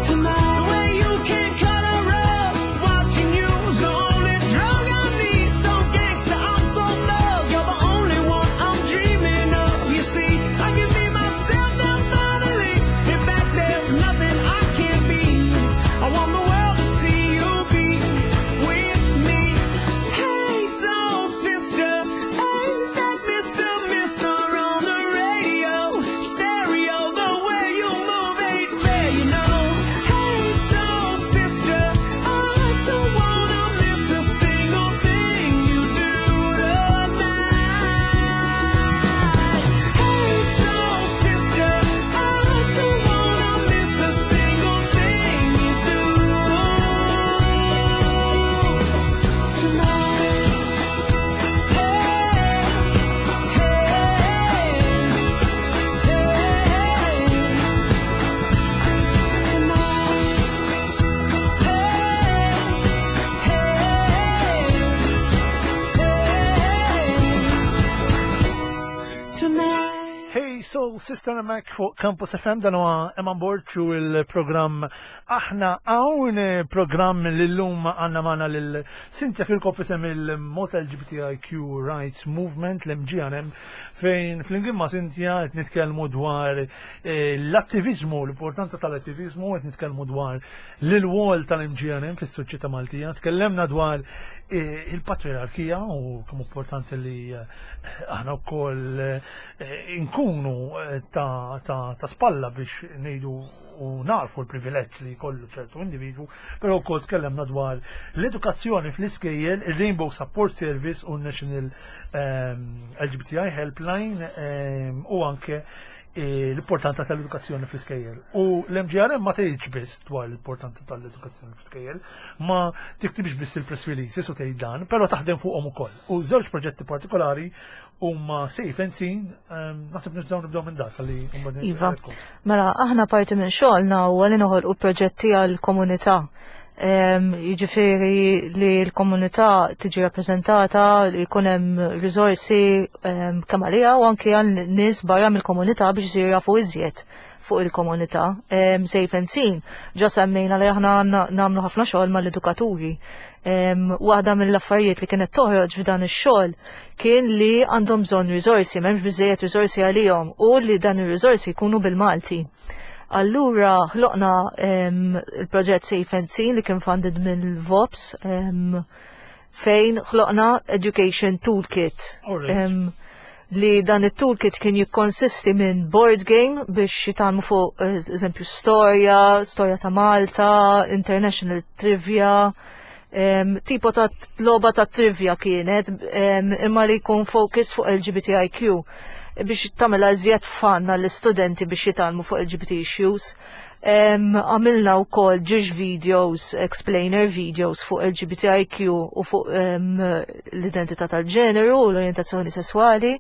Tonight, the way you can cut a rug, watching you's the only drug I need. So gangsta, I'm so thug, you're the only one I'm dreaming of. You see, I can be myself now finally. In fact, there's nothing I can't be. I want the world to see you be with me. Hey, soul sister, ain't that Mister Mister on the radio? Stereo, the way you move ain't fair, you know. Hey, soul sister, I don't wanna miss a single thing you do tonight. Hey, soul sister, I don't wanna miss a single thing you do tonight. Hey, hey, hey, tonight. Hey, hey, hey, tonight. Hey Soul Sister Mac fuq Campus F M, dan huwa Eman Borg u il-programm Aħna Hawn, programm li llum għandna magħna lil Cynthia Kirkhoff isem il-Malta L G B T I Q Rights Movement, l-M G R M, fejn flimkien ma' Cynthia qed nitkellmu dwar eh, l-attivizmu, l-importanza tal-attivizmu, qed nitkellmu dwar l-rwol tal-M G R M fis-soċjetà Maltija, tkellemna dwar eh, il-patriarkija u kemm importanti li eh, aħna wkoll eh, inkunu eh, ta', ta, ta spalla biex ngħidu u narfu l-privileġġ li jkollu ċertu individwu, però wkoll tkellemna dwar l-edukazzjoni fl-iskejjel, il-Rainbow Support Service u National ehm, L G B T I Helpline ehm, u anke L-importanza tal-edukazzjoni fl-iskejjel. U l-M G R M ma tgħidx biss dwar l-importanza tal-edukazzjoni fl-iskejjel, ma tiktibx biss il-press releases u tgħid dan, però taħdem fuqhom ukoll. U żewġ proġetti partikolari huma Safe and Seen, naħseb nibdew nibdew minn dak li Iva. Mela, aħna parti minn xogħolna huwa li noħolqu proġetti għall-komunità. Jiġifieri li l-komunità tiġi rappreżentata, li jkun hemm riżorsi kemm għaliha u anke għal nies barra mill-komunità biex isiru jafu iżjed fuq il-komunità. Safe and Seen, ġa semmejna li aħna nagħmlu ħafna xogħol mal-edukaturi. Waħda mill-affarijiet li kienet toħroġ f'dan ix-xogħol kien li għandhom bżonn riżorsi, m'hemmx biżejjed riżorsi għalihom u li dan ir-riżorsi jkunu bil-Malti. Allura ħloqna il-proġett Safe and Seen li kien funded mill-V O P S, fejn ħloqna Education Toolkit. Li dan it-toolkit kien jikkonsisti minn board game biex jitgħallmu fuq, eżempju, storja, storja ta' Malta, international trivia, tipo ta' logħba ta' trivia kienet, imma li jkun focus fuq L G B T I Q biex tagħmilha iżjed fun għall-istudenti biex jitgħallmu fuq L G B T issues. Għamilna wkoll ġiex videos, explainer videos fuq L G B T I Q u fuq l-identità tal-ġeneru u l-orientazzjoni sessuali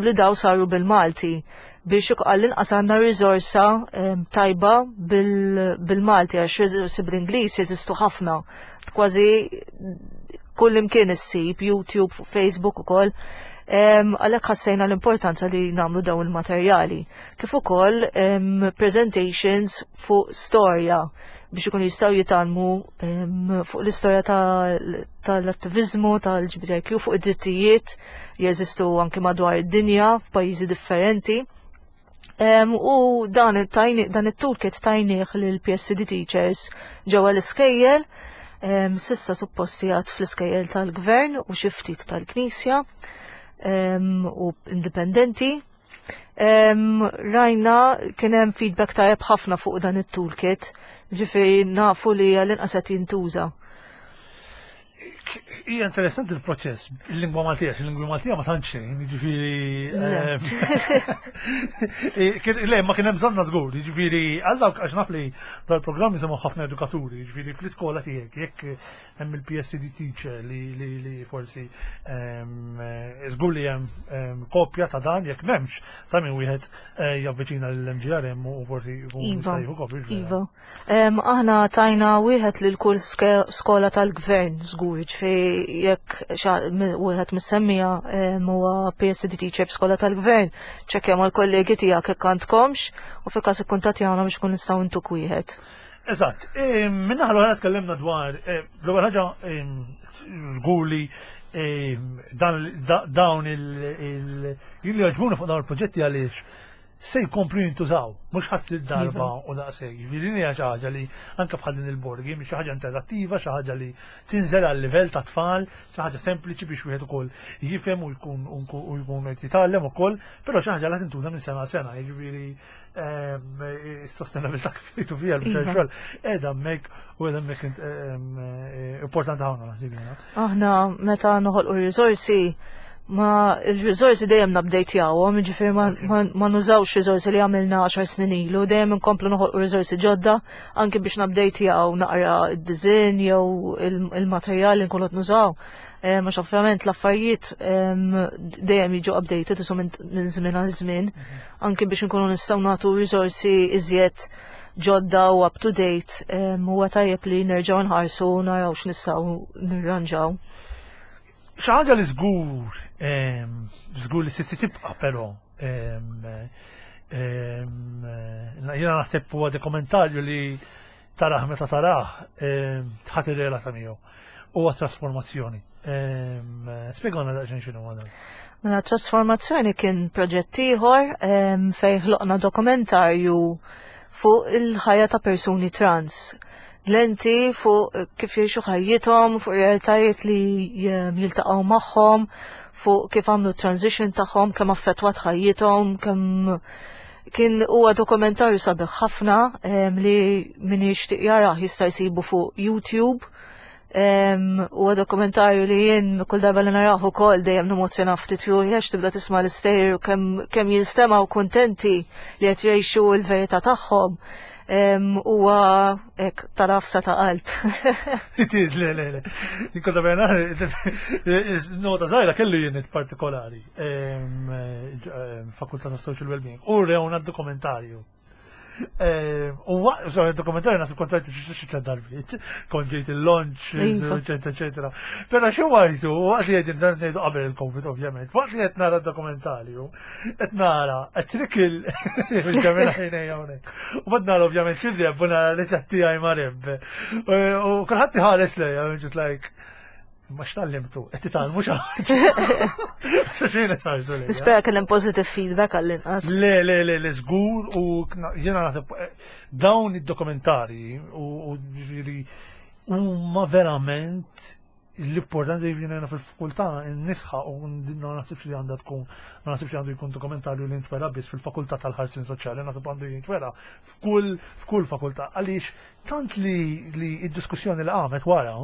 li daw saru bil-Malti biex għall-inqas għandna riżorsa tajba bil-Malti, għax riżorsi bl-Ingliż jeżistu ħafna. Kważi kull imkien issib, YouTube, Facebook ukoll. Għalhekk ħassejna l-importanza li nagħmlu dawn il-materjali. Kif ukoll presentations fuq storja biex ikun jistgħu jitgħallmu fuq l-istorja tal-attivizmu, tal-L G B T I Q, fuq id-drittijiet jeżistu anke madwar id-dinja f'pajjiżi differenti. U dan dan it-toolkit tajnieh lil P S C D teachers ġewwa l-iskejjel, s'issa supposti għad fl-iskejjel tal-gvern u xi ftit tal-Knisja u indipendenti. Rajna kien hemm feedback tajjeb ħafna fuq dan it-toolkit, ġifieri nafu li għall-inqas qed jintuża. Hija interessanti il-proċess, il-lingwa Maltija, il-lingwa Maltija ma tantx xejn, jiġifieri, le, ma kien hemm bżonna żgur, jiġifieri għal dawk, għax naf li dal-programm jisimgħu ħafna edukaturi, jiġifieri fl-iskola tiegħek jekk hemm il-P S C D teacher li li forsi żgur li hemm kopja ta' dan, jekk m'hemmx, ta' min wieħed eh, javviċina l-M G R M u forsi jkun Iva, jista' jieħu kopja. Iva. Aħna tajna wieħed lil kull skola tal-gvern, żgur, ġifieri jekk wieħed mis-semmija huwa P S C D teacher f'skola tal-gvern, ċekkja mal-kollegi tiegħek jekk għandkomx u fi każ ikkuntattjawna biex kun nistgħu ntuk wieħed. Eżatt, min-naħa l-oħra tkellimna dwar, l-ewwel ħaġa żgur li dawn il li għoġbuni fuq dawn il-proġetti għaliex se jkomplu jintużaw, mhux ħa ssir darba u daqshekk. Jiġifieri hija xi ħaġa li anke bħal din il-board game, xi ħaġa interattiva, xi ħaġa li tinżel għal livell ta' tfal, xi ħaġa sempliċi biex wieħed ukoll jifhem u jkun u jkun qed jitgħallem ukoll, però xi ħaġa li tintuża minn sena sena, jiġifieri is-sostenabilità kif jgħidu fiha l-biċċa xogħol qiegħda hemmhekk u qiegħda hemmhekk importanti ħafna, naħseb jiena. Aħna meta noħolqu riżorsi, ma il-riżorsi dejjem nupdatejawhom, ġifieri ma, ma, ma nużawx riżorsi li għamilna għaxar snin ilu, dejjem inkomplu noħolqu riżorsi ġodda anke biex nupdatejjaw naqra id-design jew il-materjal li nkunu qed nużaw. Mhux ovvjament l-affarijiet dejjem jiġu updated isu minn żmien għal żmien, anke biex nkunu nistgħu nagħtu riżorsi iżjed ġodda u up to date, huwa tajjeb li nerġgħu nħarsu u naraw x'nistgħu nirranġaw. Xi ħaġa li żgur żgur li se tibqa' però jiena naħseb huwa dokumentarju li tarah, meta tarah tħat ir-relata miegħu. Huwa Trasformazzjoni. Spjegawna daqsxejn x'inhu dan. Mela, Trasformazzjoni kien proġett ieħor fejn ħloqna dokumentarju fuq il-ħajja ta' persuni trans. Lenti fuq kif jgħixu ħajjithom, fuq realtajiet li jiltaqgħu magħhom, fuq kif għamlu transition tagħhom, kemm affettwat ħajjithom, kemm kien huwa dokumentarju sabiħ ħafna li min jixtieq jarah jista' jsibu fuq YouTube. Huwa dokumentarju li jien kull darba li narahu ukoll dejjem nemozzjona ftit ruħi, għax tibda tisma' l-istejjer u kemm kemm jinstemgħu kuntenti li qed jgħixu l-verità tagħhom. Huwa hekk tal-għafsa ta' qalb. It is, le, le, le. Kont bejna, nota żgħira, kellu unit partikolari, Fakultà ta' Social Wellbeing, u rewna dokumentarju. U waqt, so, dokumentarju naħseb kont rajtu xi tliet darbiet, kont ġejt il-launch, Iva. eccetera, eccetera. Però xi wajtu, waqt li qegħdin ngħidu qabel il-Covid ovvjament, waqt li qed nara d-dokumentarju, qed nara qed trikil ġamela ħinejja hawnhekk. U bad nara ovvjament il-Reb u nara li tiegħi ma' Reb. U kulħadd iħares lejja, I'm just like, ma x'tallimtu, qed titgħallmu xi ħaġa. Xejn qed tħarsu lejja. Nispera kellem positive feedback għall-inqas. Le, le, le, le, żgur u kna- jiena naħseb eh, dawn id-dokumentari u u ġifieri huma verament l-importanza, jiġifieri fil-fakultà nisħa u ma naħsibx li għandha tkun, ma naħsibx li għandu jkun dokumentarju li jintwera biss fil-fakultà tal-ħarsien soċjali, naħseb għandu jintwera f'kull f'kull fakultà, għaliex tant li li id-diskussjoni li qamet wara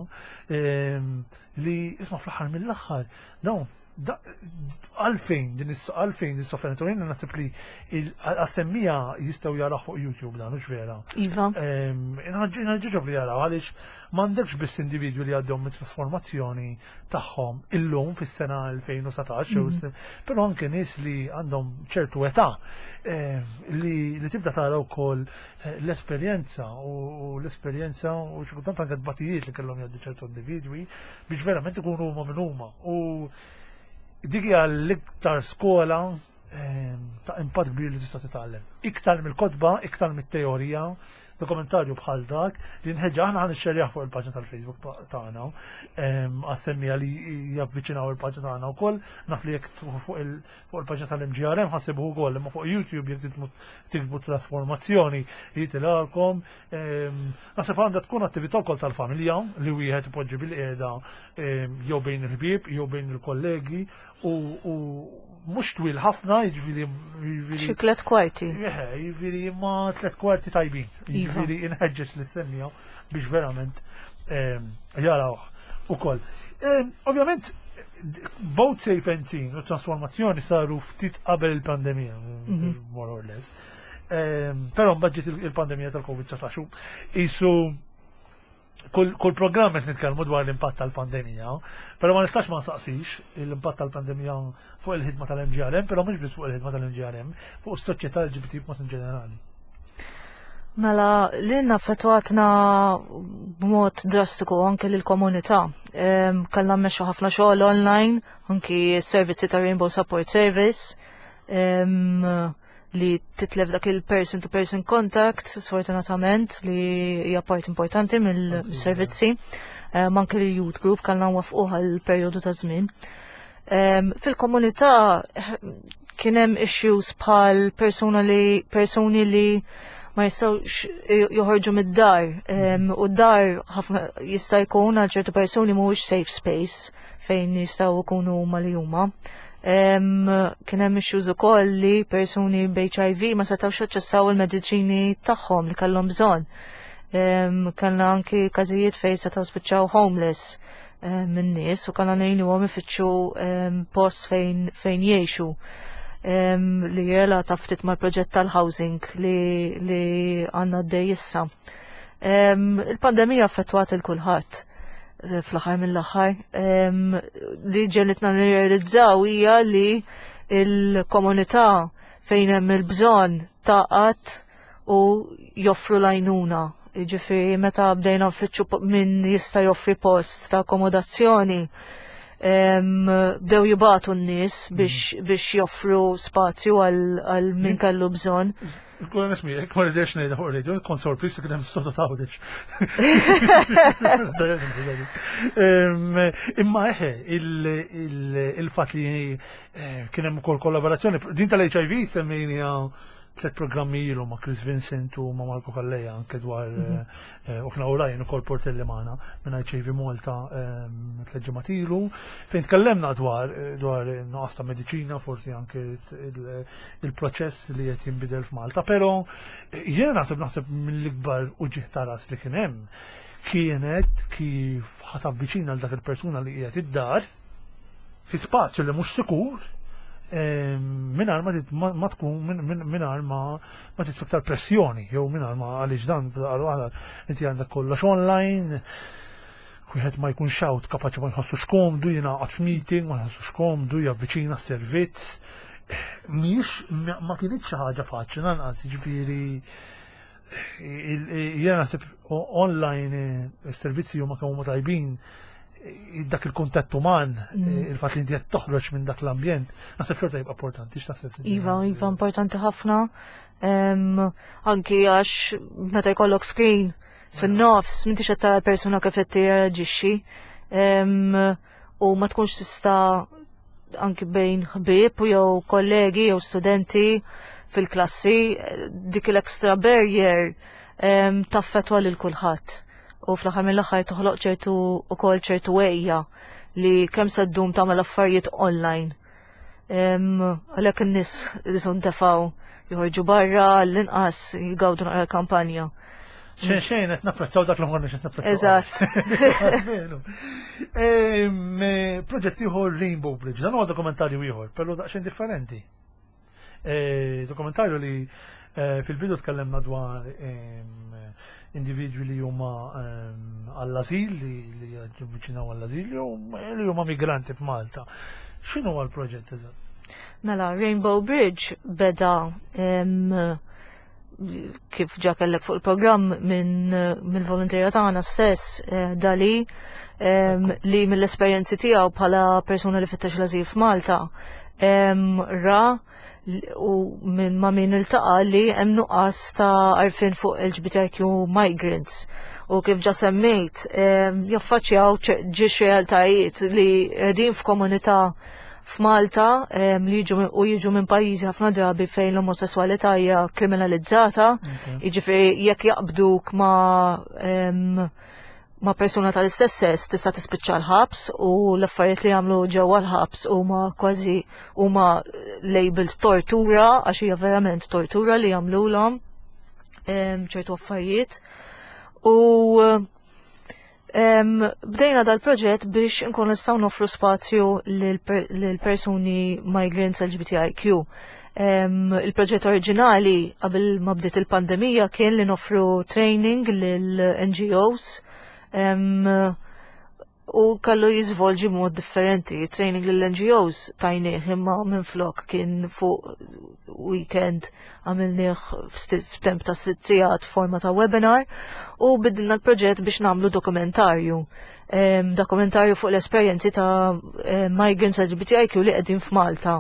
ehm, li isma' fl-aħħar mill-aħħar dawn da- għalfejn din is għalfejn din is-sofferenza, u jiena naħseb li għas-semmija jistgħu jaraw fuq YouTube dan, mhux vera? Iva. Inħeġġiġhom li jaraw, għaliex m'għandekx biss individwi li għaddew mit-trasformazzjoni tagħhom illum fis-sena elfejn u sbatax, però anke nies li għandhom ċertu età em, li, li tibda tara wkoll eh, l-esperjenza u u l-esperjenza u xi kultant anke tbatijiet li kellhom jgħaddu ċertu individwi biex verament ikunu huma minn huma. U dik hija l-iktar skola em, ta' impatt kbir li tista' titgħallem. Iktar mill-kotba, iktar mit-teorija, dokumentarju bħal dak li nħeġġa aħna ħa nixxerjah fuq il-paġna tal-Facebook tagħna għas-semmija li javviċinaw il-paġna tagħna wkoll. Naf li jekk tfuq fuq il- fuq il-paġna tal-M G R M ħa ssibuh ukoll, imma fuq YouTube jekk titmu tiktbu trasformazzjoni jitilgħalkom. Naħseb għandha tkun attività wkoll tal-familja li wieħed ipoġġi bil-qiegħda em, jew bejn il-ħbieb jew bejn il-kollegi u u mhux twil ħafna, jiġifieri jiġifieri Xi tliet kwarti. Eħe, jiġifieri ma tlet kwarti tajbin. Iva. Jiġifieri inħeġġeġ lis-semmija biex verament em, jarawh ukoll. Em, Ovvjament, both Safe and Seen u trasformazzjoni saru ftit qabel il-pandemija, more or less. Em, Però mbagħad ġiet il- il-pandemija tal-Covid dsatax. Isu kull, kull programm qed nitkellmu dwar l-impatt tal-pandemija, però ma nistax ma nsaqsix l-impatt tal-pandemija fuq il-ħidma tal-M G R M, però mhux biss fuq il-ħidma tal-M G R M, fuq is-soċjetà L G B T b'mod in ġenerali. Mela, lilna affettwatna b'mod drastiku, anke lill-komunità. Em, Kellna mmexxu ħafna xogħol online, anki s-servizzi ta' Rainbow Support Service, em, li titlef dak il-person to person contact, sfortunatament, li hija part importanti mill-servizzi. Em, Anke l-youth group kellna nwaffquh għal perjodu ta' żmien. Em, Fil-komunità eh, kien hemm issues bħal persuna li persuni li ma jistgħux joħorġu mid-dar em, u d-dar ħafna jista' jkun għal ċertu persuni mhuwiex safe space fejn jistgħu jkunu huma li huma. Em, Kien hemm issues ukoll li persuni b'H I V ma setgħux jaċċessaw il-mediċini tagħhom li kellhom bżonn. Em, Kellna anki każijiet fejn setgħu spiċċaw homeless em, minn nies u kellna ngħinuhom ifittxu em, post fejn fejn jgħixu em, li relata ftit mal-proġett tal-housing li, li għandna għaddej issa. Em, Il-pandemija affettwat il kulħadd eh, fl-aħħar mill-aħħar. Em, Li ġegħlitna nirrealizzaw hija li il-komunità fejn hemm il-bżonn taqat u joffru l-għajnuna. Ġifieri meta bdejna nfittxu po- min jista' joffri post ta' akkomodazzjoni, em, bdew jibagħtu n-nies biex, biex joffru spazju għal, għal min kellu bżonn. Kuna nismi, jekk ma rridx ngħidha fuq radio, kont sorpriż li kien hemm sota ta' Għawdex. Imma eħe, il-fatt li eh, kien hemm ukoll kollaborazzjoni, din tal-H I V semmejnija tliet programmi ilu ma' Chris Vincent u ma' Marco Calleja anke dwar mhm. eh, u kna Ryan ukoll Portelli magħna minn H I V Malta ehm, tliet ġimgħat ilu, fejn tkellemna dwar eh, dwar nuqqas ta' mediċina, forsi anke il-proċess li qed jinbidel f'Malta, però eh, jiena naħseb naħseb mill-ikbar uġigħ ta' ras li kien hemm kienet kif ħa tavviċina għal dak il-persuna li qiegħed id-dar fi spazju li mhux sikur mingħajr ma ma tkun mingħajr ma ma titfa' iktar pressjoni jew mingħajr ma, għaliex dan waħda inti għandek kollox online, wieħed ma jkunx out kapaċi, ma jħossux komdu jingħaqad f'meeting, ma jħossux komdu javviċina s-servizz. Mhix ma kienx xi ħaġa faċli lanqas, jiġifieri jiena naħseb online is-servizzi huma kemm huma tajbin, dak il-kuntatt uman, mm. il-fatt li inti qed toħroġ minn dak l-ambjent, naħseb xorta jibqa' importanti, x'taħseb? Iva, iva, importanti ħafna. Anki għax meta jkollok screen fin-nofs, m'intix qed tara persuna kif qed tirreaġixxi. U ma tkunx tista' anki bejn ħbieb jew kollegi jew studenti fil-klassi, dik l-extra barrier taffetwa lil kulħadd u fl-aħħar mill-aħħar toħloq ċertu ukoll ċertu għejja li kemm se ddum tagħmel affarijiet online. Għalhekk in-nies qisu ntefgħu joħorġu barra, l-inqas jgawdu naqra kampanja. Xejn xejn, qed napprezzaw dak li ma konniex qed napprezzaw. Eżatt. Proġett ieħor, Rainbow Bridge, dan huwa dokumentarju ieħor, però daqsxejn differenti. E, dokumentarju li e, fil-bidu tkellemna dwar individwi li huma għall-azil, li li javviċinaw għall-azil, jew li huma migranti f'Malta. X'inhu l-proġett eżatt? Mela, Rainbow Bridge beda em, kif ġa kellek fuq il-programm minn mill volonterja tagħna stess, eh, Dali, em, li mill-esperjenzi tiegħu bħala persuna li fittex l-azil f'Malta em, ra u minn ma' min iltaqa' li hemm nuqqas ta' għarfien fuq L G B T I Q migrants u kif ġa semmejt em, jaffaċċjaw ċe- ġiex realtajiet li qegħdin f'komunità f'Malta em, li jiġu u jiġu minn pajjiżi ħafna drabi fejn l-omosessualità hija kriminalizzata, jiġifieri jekk jaqbduk ma' em, ma' persuna tal-istess sess tista' tispiċċa l-ħabs u l-affarijiet li jagħmlu ġewwa l-ħabs huma kważi huma labeled tortura, għax hija verament tortura li jagħmluhom em, ċertu affarijiet. U em, bdejna dal-proġett biex nkunu nistgħu nofru spazju lil per- lil persuni migrants L G B T I Q. Em, il-proġett oriġinali qabel ma bdiet il-pandemija kien li nofru training lil N G Os em, u kellu jiżvolġi mod differenti. Training lil N G Os tajnieh, imma minn flok kien fuq weekend għamilnieh f'sti- f'temp ta' sitt sigħat forma ta' webinar u bidilna l-proġett biex nagħmlu dokumentarju. Em, dokumentarju fuq l-esperjenzi ta' em, migrants L G B T I Q li qegħdin f'Malta.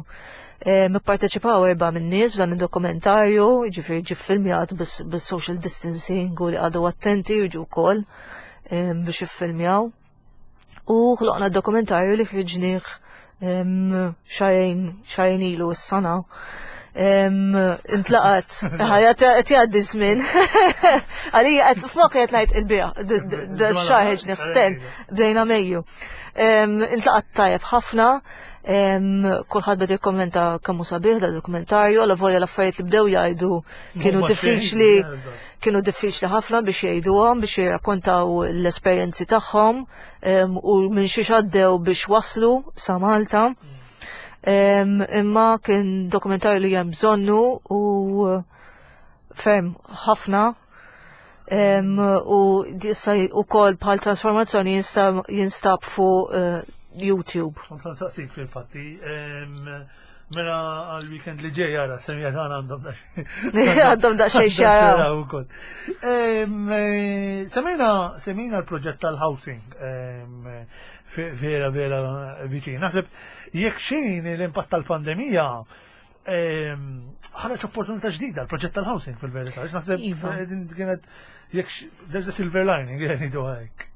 Em, Ipparteċipaw erba' minn nies f'dan id-dokumentarju, ġifieri ġie filmjat bis-social distancing u li qagħdu attenti jiġu wkoll em, biex jiffilmjaw. U ħloqna dokumentarju li ħriġnieh em, xahrejn xahrejn ilu s-sana. Em, Intlaqat, ħajja qed jgħaddi żmien. Għalija qed f'moħħi qed ngħid il-bieraħ, xahar ħriġnieh still, bdejna Mejju. Em, Intlaqat tajjeb ħafna, em, kulħadd beda jikkommenta kemm hu sabiħ da dokumentarju, għala volja l-affarijiet li bdew jgħidu kienu Huma diffiċli xejn, eżatt. kienu diffiċli ħafna biex jgħiduhom, biex jirrakkontaw l-esperjenzi tagħhom em, u minn xiex għaddew biex waslu sa Malta. Em, Imma kien dokumentarju li hemm bżonnu u ferm ħafna. Em, U issa ukoll bħal trasformazzjoni jinstab, jinstab fuq eh, YouTube. Kont nsaqsik fil-fatti. em, Mela għal-weekend li ġej jara, semija tagħna għandhom Għandhom daqsxejn x'jaraw. ukoll. Em, eh, Semmejna semmejna l-proġett tal-housing em, fe- vera vera viċin. Naħseb jekk xejn l-impatt tal-pandemija em, ħareġ opportunità ġdida l-proġett tal-housing fil-verità. Għax naħseb Iva. eh, din kienet jekk x- there's a silver lining, jgħidu hekk.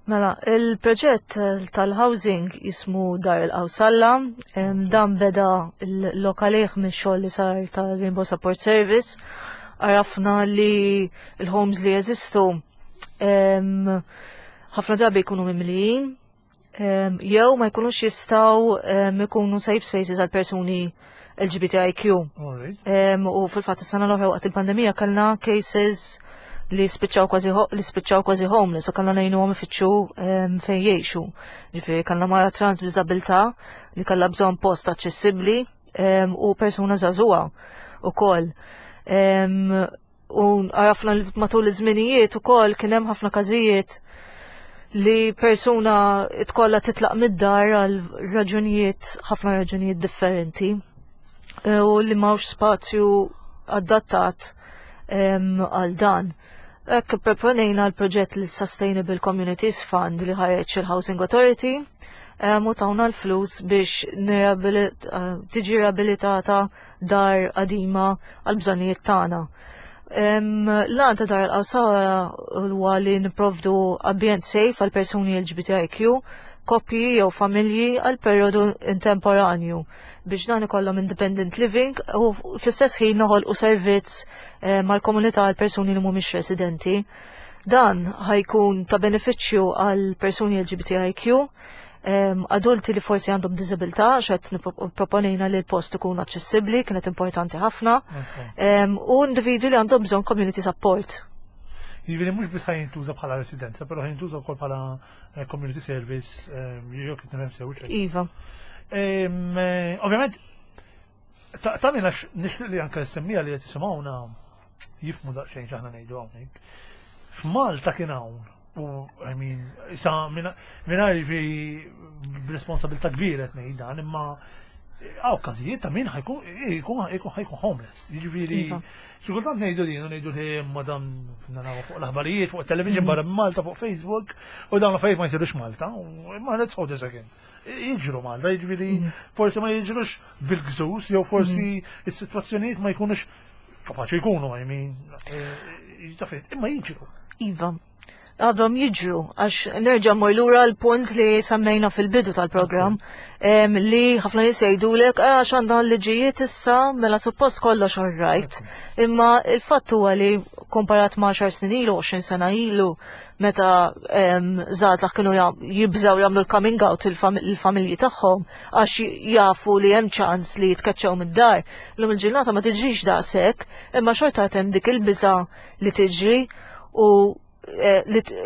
Mela, il-proġett tal-housing jismu Dar il-Qawsalla, em, dan beda l-lokalih minn xogħol li sar tal-Rainbow Support Service. Għarafna li l-homes li jeżistu em, ħafna drabi jkunu mimlijin, em, jew ma jkunux jistgħu em, ikunu safe spaces għal persuni L G B T I Q. Alright. Em, u fil-fatt is-sena l-oħra waqt il-pandemija kellna cases li spiċċaw kważi ho- li spiċċaw kważi homeless u kellna ngħinuhom ifittxu em, fejn jgħixu. Ġifieri kellna mara trans b'diżabilità li kellha bżonn post aċċessibbli em, u persuna żagħżugħa ukoll. Em, U għarafna li matul iż-żminijiet ukoll kien hemm ħafna każijiet li persuna tkollha titlaq mid-dar għal raġunijiet, ħafna raġunijiet differenti, e, u li m'hawnx spazju adattat em, għal dan. Hekk proponejna l-proġett l Sustainable Communities Fund li ħareġ il-Housing Authority em, u tawna l-flus biex nirabilit- eh, tiġi riabilitata dar qadima għal bżonnijiet tagħna. Em, L-għan ta' Dar il-Qawsalla huwa li nipprovdu ambjent safe għal persuni L G B T I Q, koppji jew familji għal perjodu temporanju biex dan ikollhom independent living u fl-istess ħin noħolqu servizz eh, mal-komunità għal persuni li mhumiex residenti. Dan ħa jkun ta' benefiċċju għal persuni L G B T I Q, em, adulti li forsi għandhom diżabilità, xed proponejna li l-post ikun aċċessibbli, kienet importanti ħafna, em, u individwi li għandhom bżonn community support. Jiġifieri mhux biss ħa jintuża bħala residenza, però ħa jintuża wkoll bħala eh, community service, eh, jew kif nifhem sew xejn. Iva. Em, eh, Ovvjament, ta' ta' minna nixtieq li anke semmija li qed jisimgħuna jifhmu daqsxejn x'aħna ngħidu hawnhekk. F'Malta kien hawn u, I mean, issa mingħajr fi b'responsabilità kbira qed ngħid dan, imma hawn każijiet ta' min ħa jkun jkun ħa jkun homeless. Jiġifieri Iva. xi kultant ngħidu din u ngħidu li madam naraw fuq l-aħbarijiet, fuq television barra minn Malta, fuq Facebook, u dawn l-affarijiet ma jsirux Malta, u ma let's hold a second. Jiġru Malta, jiġifieri forsi ma jiġrux bil-gżus, jew forsi is-sitwazzjonijiet ma jkunux kapaċi jkunu, I mean, eh, taf, imma jiġru. Iva. Għadhom jiġru, għax nerġa' mor lura l-punt li semmejna fil-bidu tal-programm, em, li ħafna nies jgħidulek "Ah, għax għandha l-liġijiet issa, mela suppost kollox all right." Imma il-fatt huwa li komparat ma' għaxar snin ilu, għoxrin sena ilu, meta em, żgħażagħ kienu jam- jibżaw jagħmlu l-coming out il-familji tagħhom għax jafu li hemm ċans li jitkeċċew mid-dar. Illum il-ġurnata ma tiġrix daqshekk, imma xorta hemm dik il-biża li tiġri u eh, li t-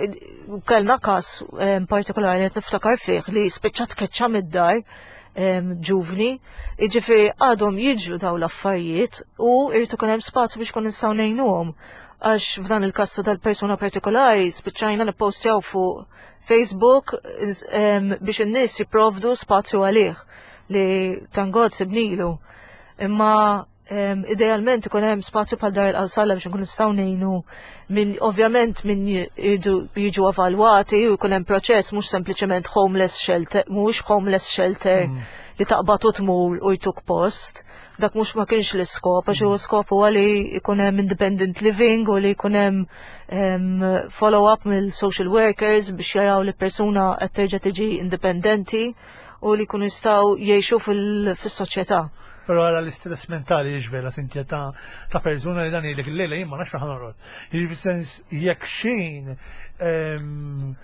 kellna kas eh, partikolari li qed niftakar fih li spiċċa tkeċċa mid-dar em, ġuvni, jiġifieri għadhom jiġru daw l-affarijiet u irid ikun hemm spazju biex kun nistgħu ngħinuhom. Għax f'dan il-każ ta' dal-persuna partikolari spiċċajna nippostjaw fuq Facebook is- em, biex in-nies jipprovdu spazju għalih li thank God sibnilu. Imma em, idealment ikun hemm spazju bħal Dar il-Qawsalla biex nkun nistgħu ngħinu min ovvjament min jiġu jiġu evalwati u jkun hemm proċess, mhux sempliċement homeless shelter, mhux homeless shelter li taqbad u tmur u jtuk post. Dak mhux ma kienx l-iskop, għax huwa skop huwa li jkun hemm independent living u li jkun hemm em, follow-up mill-social workers biex jaraw li persuna qed terġa' tiġi indipendenti u li jkunu jistgħu jgħixu fil- fis-soċjetà. Pero għara l-istress mentali jiġvela sintja ta' ta' persuna li dan jgħidlek il-lejla jien ma nafx fejn ħa norqod. Jiġifieri sens jekk xejn em,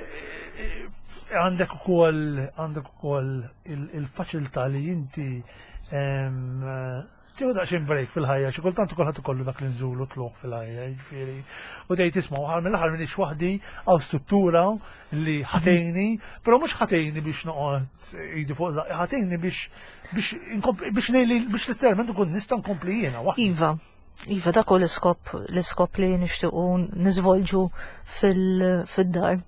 eh, għandek ukoll għandek ukoll il- il-faċilità li inti em, tieħu daqsxejn break fil-ħajja, xi kultant kulħadd ikollu dak li nżulu tlugħ fil-ħajja, jiġifieri. U tgħid isma' ħar mill-aħħar m'iniex waħdi, hawn struttura li ħa tgħinni, però mhux ħa tgħinni biex noqgħod idi fuq żaqqi, ħa tgħinni biex biex inkompli biex ngħidli biex letteralment ikun nista' nkompli jiena waħdi. Iva, Iva, dak hu l-iskop, l-iskop li nixtiequ niżvolġu fil- fid-dar.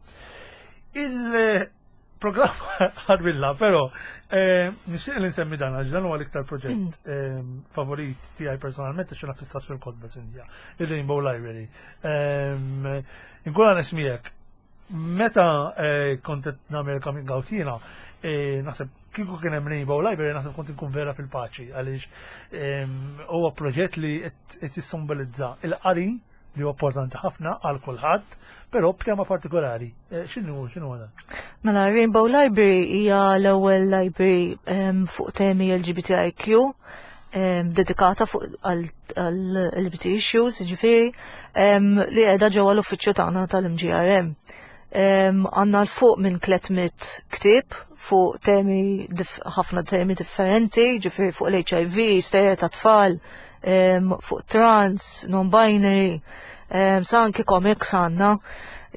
Il-programm ħarbilna, però eh, nixtieq li nsemmi dan għax dan huwa l-iktar proġett eh, favorit tiegħi personalment għax jiena fissat fil-kotba Cynthia, il-Rainbow Library. Eh, Inkun għan miegħek, meta eh, kont qed nagħmel coming out jiena, eh, naħseb kieku kien hemm Rainbow Library naħseb kont inkun vera fil-paċi għaliex em, huwa proġett li qed qed jissimbolizza il-qari li huwa importanti ħafna għal kulħadd, però b'tema partikolari. Eh, x'inhu x'inhu dan? Mela, Rainbow Library hija l-ewwel library um, fuq temi L G B T I Q um, dedikata fuq għal L G B T issues, ġifieri, um, li qiegħda ġewwa l-uffiċċju tagħna tal-M G R M. Għandna 'l fuq minn tliet mitt ktieb fuq temi, ħafna temi differenti, ġifieri fuq l-H I V, stejjer ta' tfal, fuq trans, non-binary, sa anki comics għandna.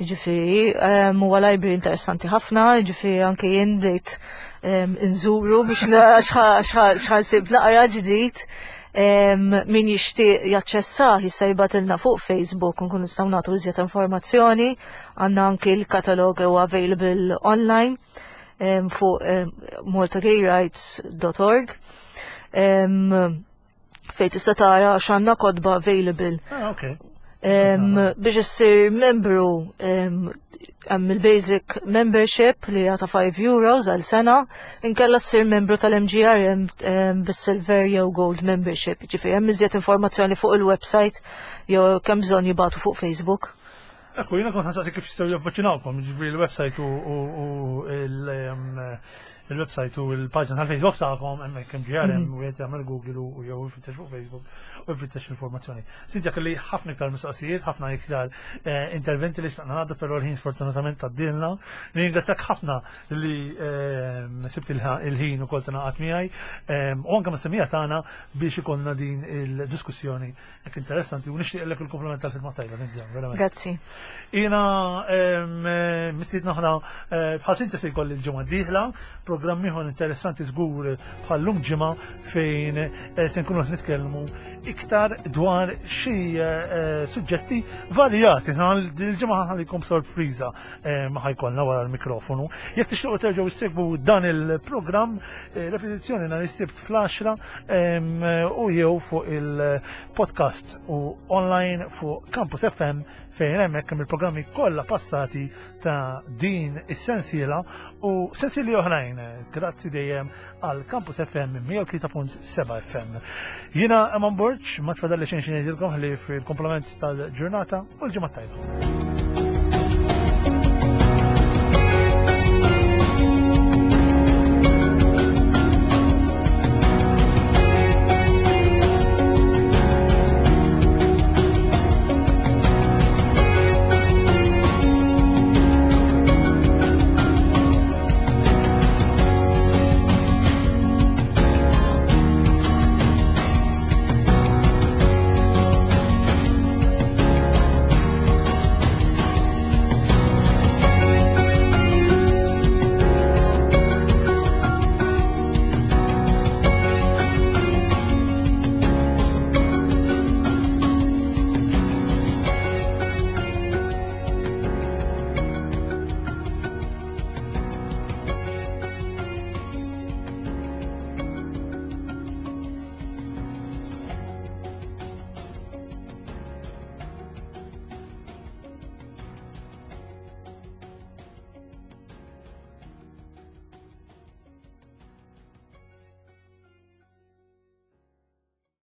Ġifieri, huwa library interessanti ħafna, ġifieri anki jien bdejt inżuru biex x'ħa nsib naqra ġdid. Min jixtieq jaċċessa jista' jibgħatilna fuq Facebook, nkun nistgħu nagħtu iżjed informazzjoni. Għandna anki l-katalog huwa available online fuq maltagayrights dot org fejn tista' tara x'għandna kotba available. Ah, okay. Biex issir membru, hemm il-basic membership li ta' five euros għal sena, inkella ssir membru tal-M G R M bis-silver jew gold membership. Ġifieri hemm iżjed informazzjoni fuq il-website jew kemm bżonn jibagħtu fuq Facebook. Ekku, jiena kont ħa nsaqsi kif jistgħu javviċinawkom, ġifieri l-website u il-website u l-paġna tal-Facebook tagħkom hemmhekk M G R M, u qed jagħmel Google u jew jfittex fuq Facebook u jfittex informazzjoni. Sinja, kelli ħafna iktar mistoqsijiet, ħafna iktar eh, interventi li xtaqna ngħaddu, però l-ħin sfortunatament għaddielna. Ningrazzjak ħafna li ehm, sibt il-ħin ukoll tingħaqad miegħi ehm, u anke mas-semmiegħa tagħna biex ikollna din il-diskussjoni hekk interessanti u nixtieqlek il-kumplament tal-ħidma tajba, verament. Grazzi. Jiena ehm, mistiedna aħna eh, bħal Sinta se jkolli l-ġimgħa d-dieħla, programm ieħor interessanti żgur bħal-lum ġimgħa fejn eh, se nkunu nitkellmu iktar dwar xi eh, suġġetti varjati. Il-ġimgħa ħallikom sorpriża ma ħa jkollna wara l-mikrofonu. Jekk tixtiequ terġgħu issegwu dan il-programm, repetizzjoni nhar is-Sibt fl-għaxra u jew fuq il-podcast u online fuq Campus F M fejn hemmhekk hemm il-programmi kollha passati ta' din is-sensiela u sensieli oħrajn. Grazzi dejjem għal Campus F M mija u tlieta punt seba' F M. Jiena Eman Borg, ma tfadalli xejn xi ngħidilkom ħlief il-komplement tal-ġurnata u l-ġimgħa tajba.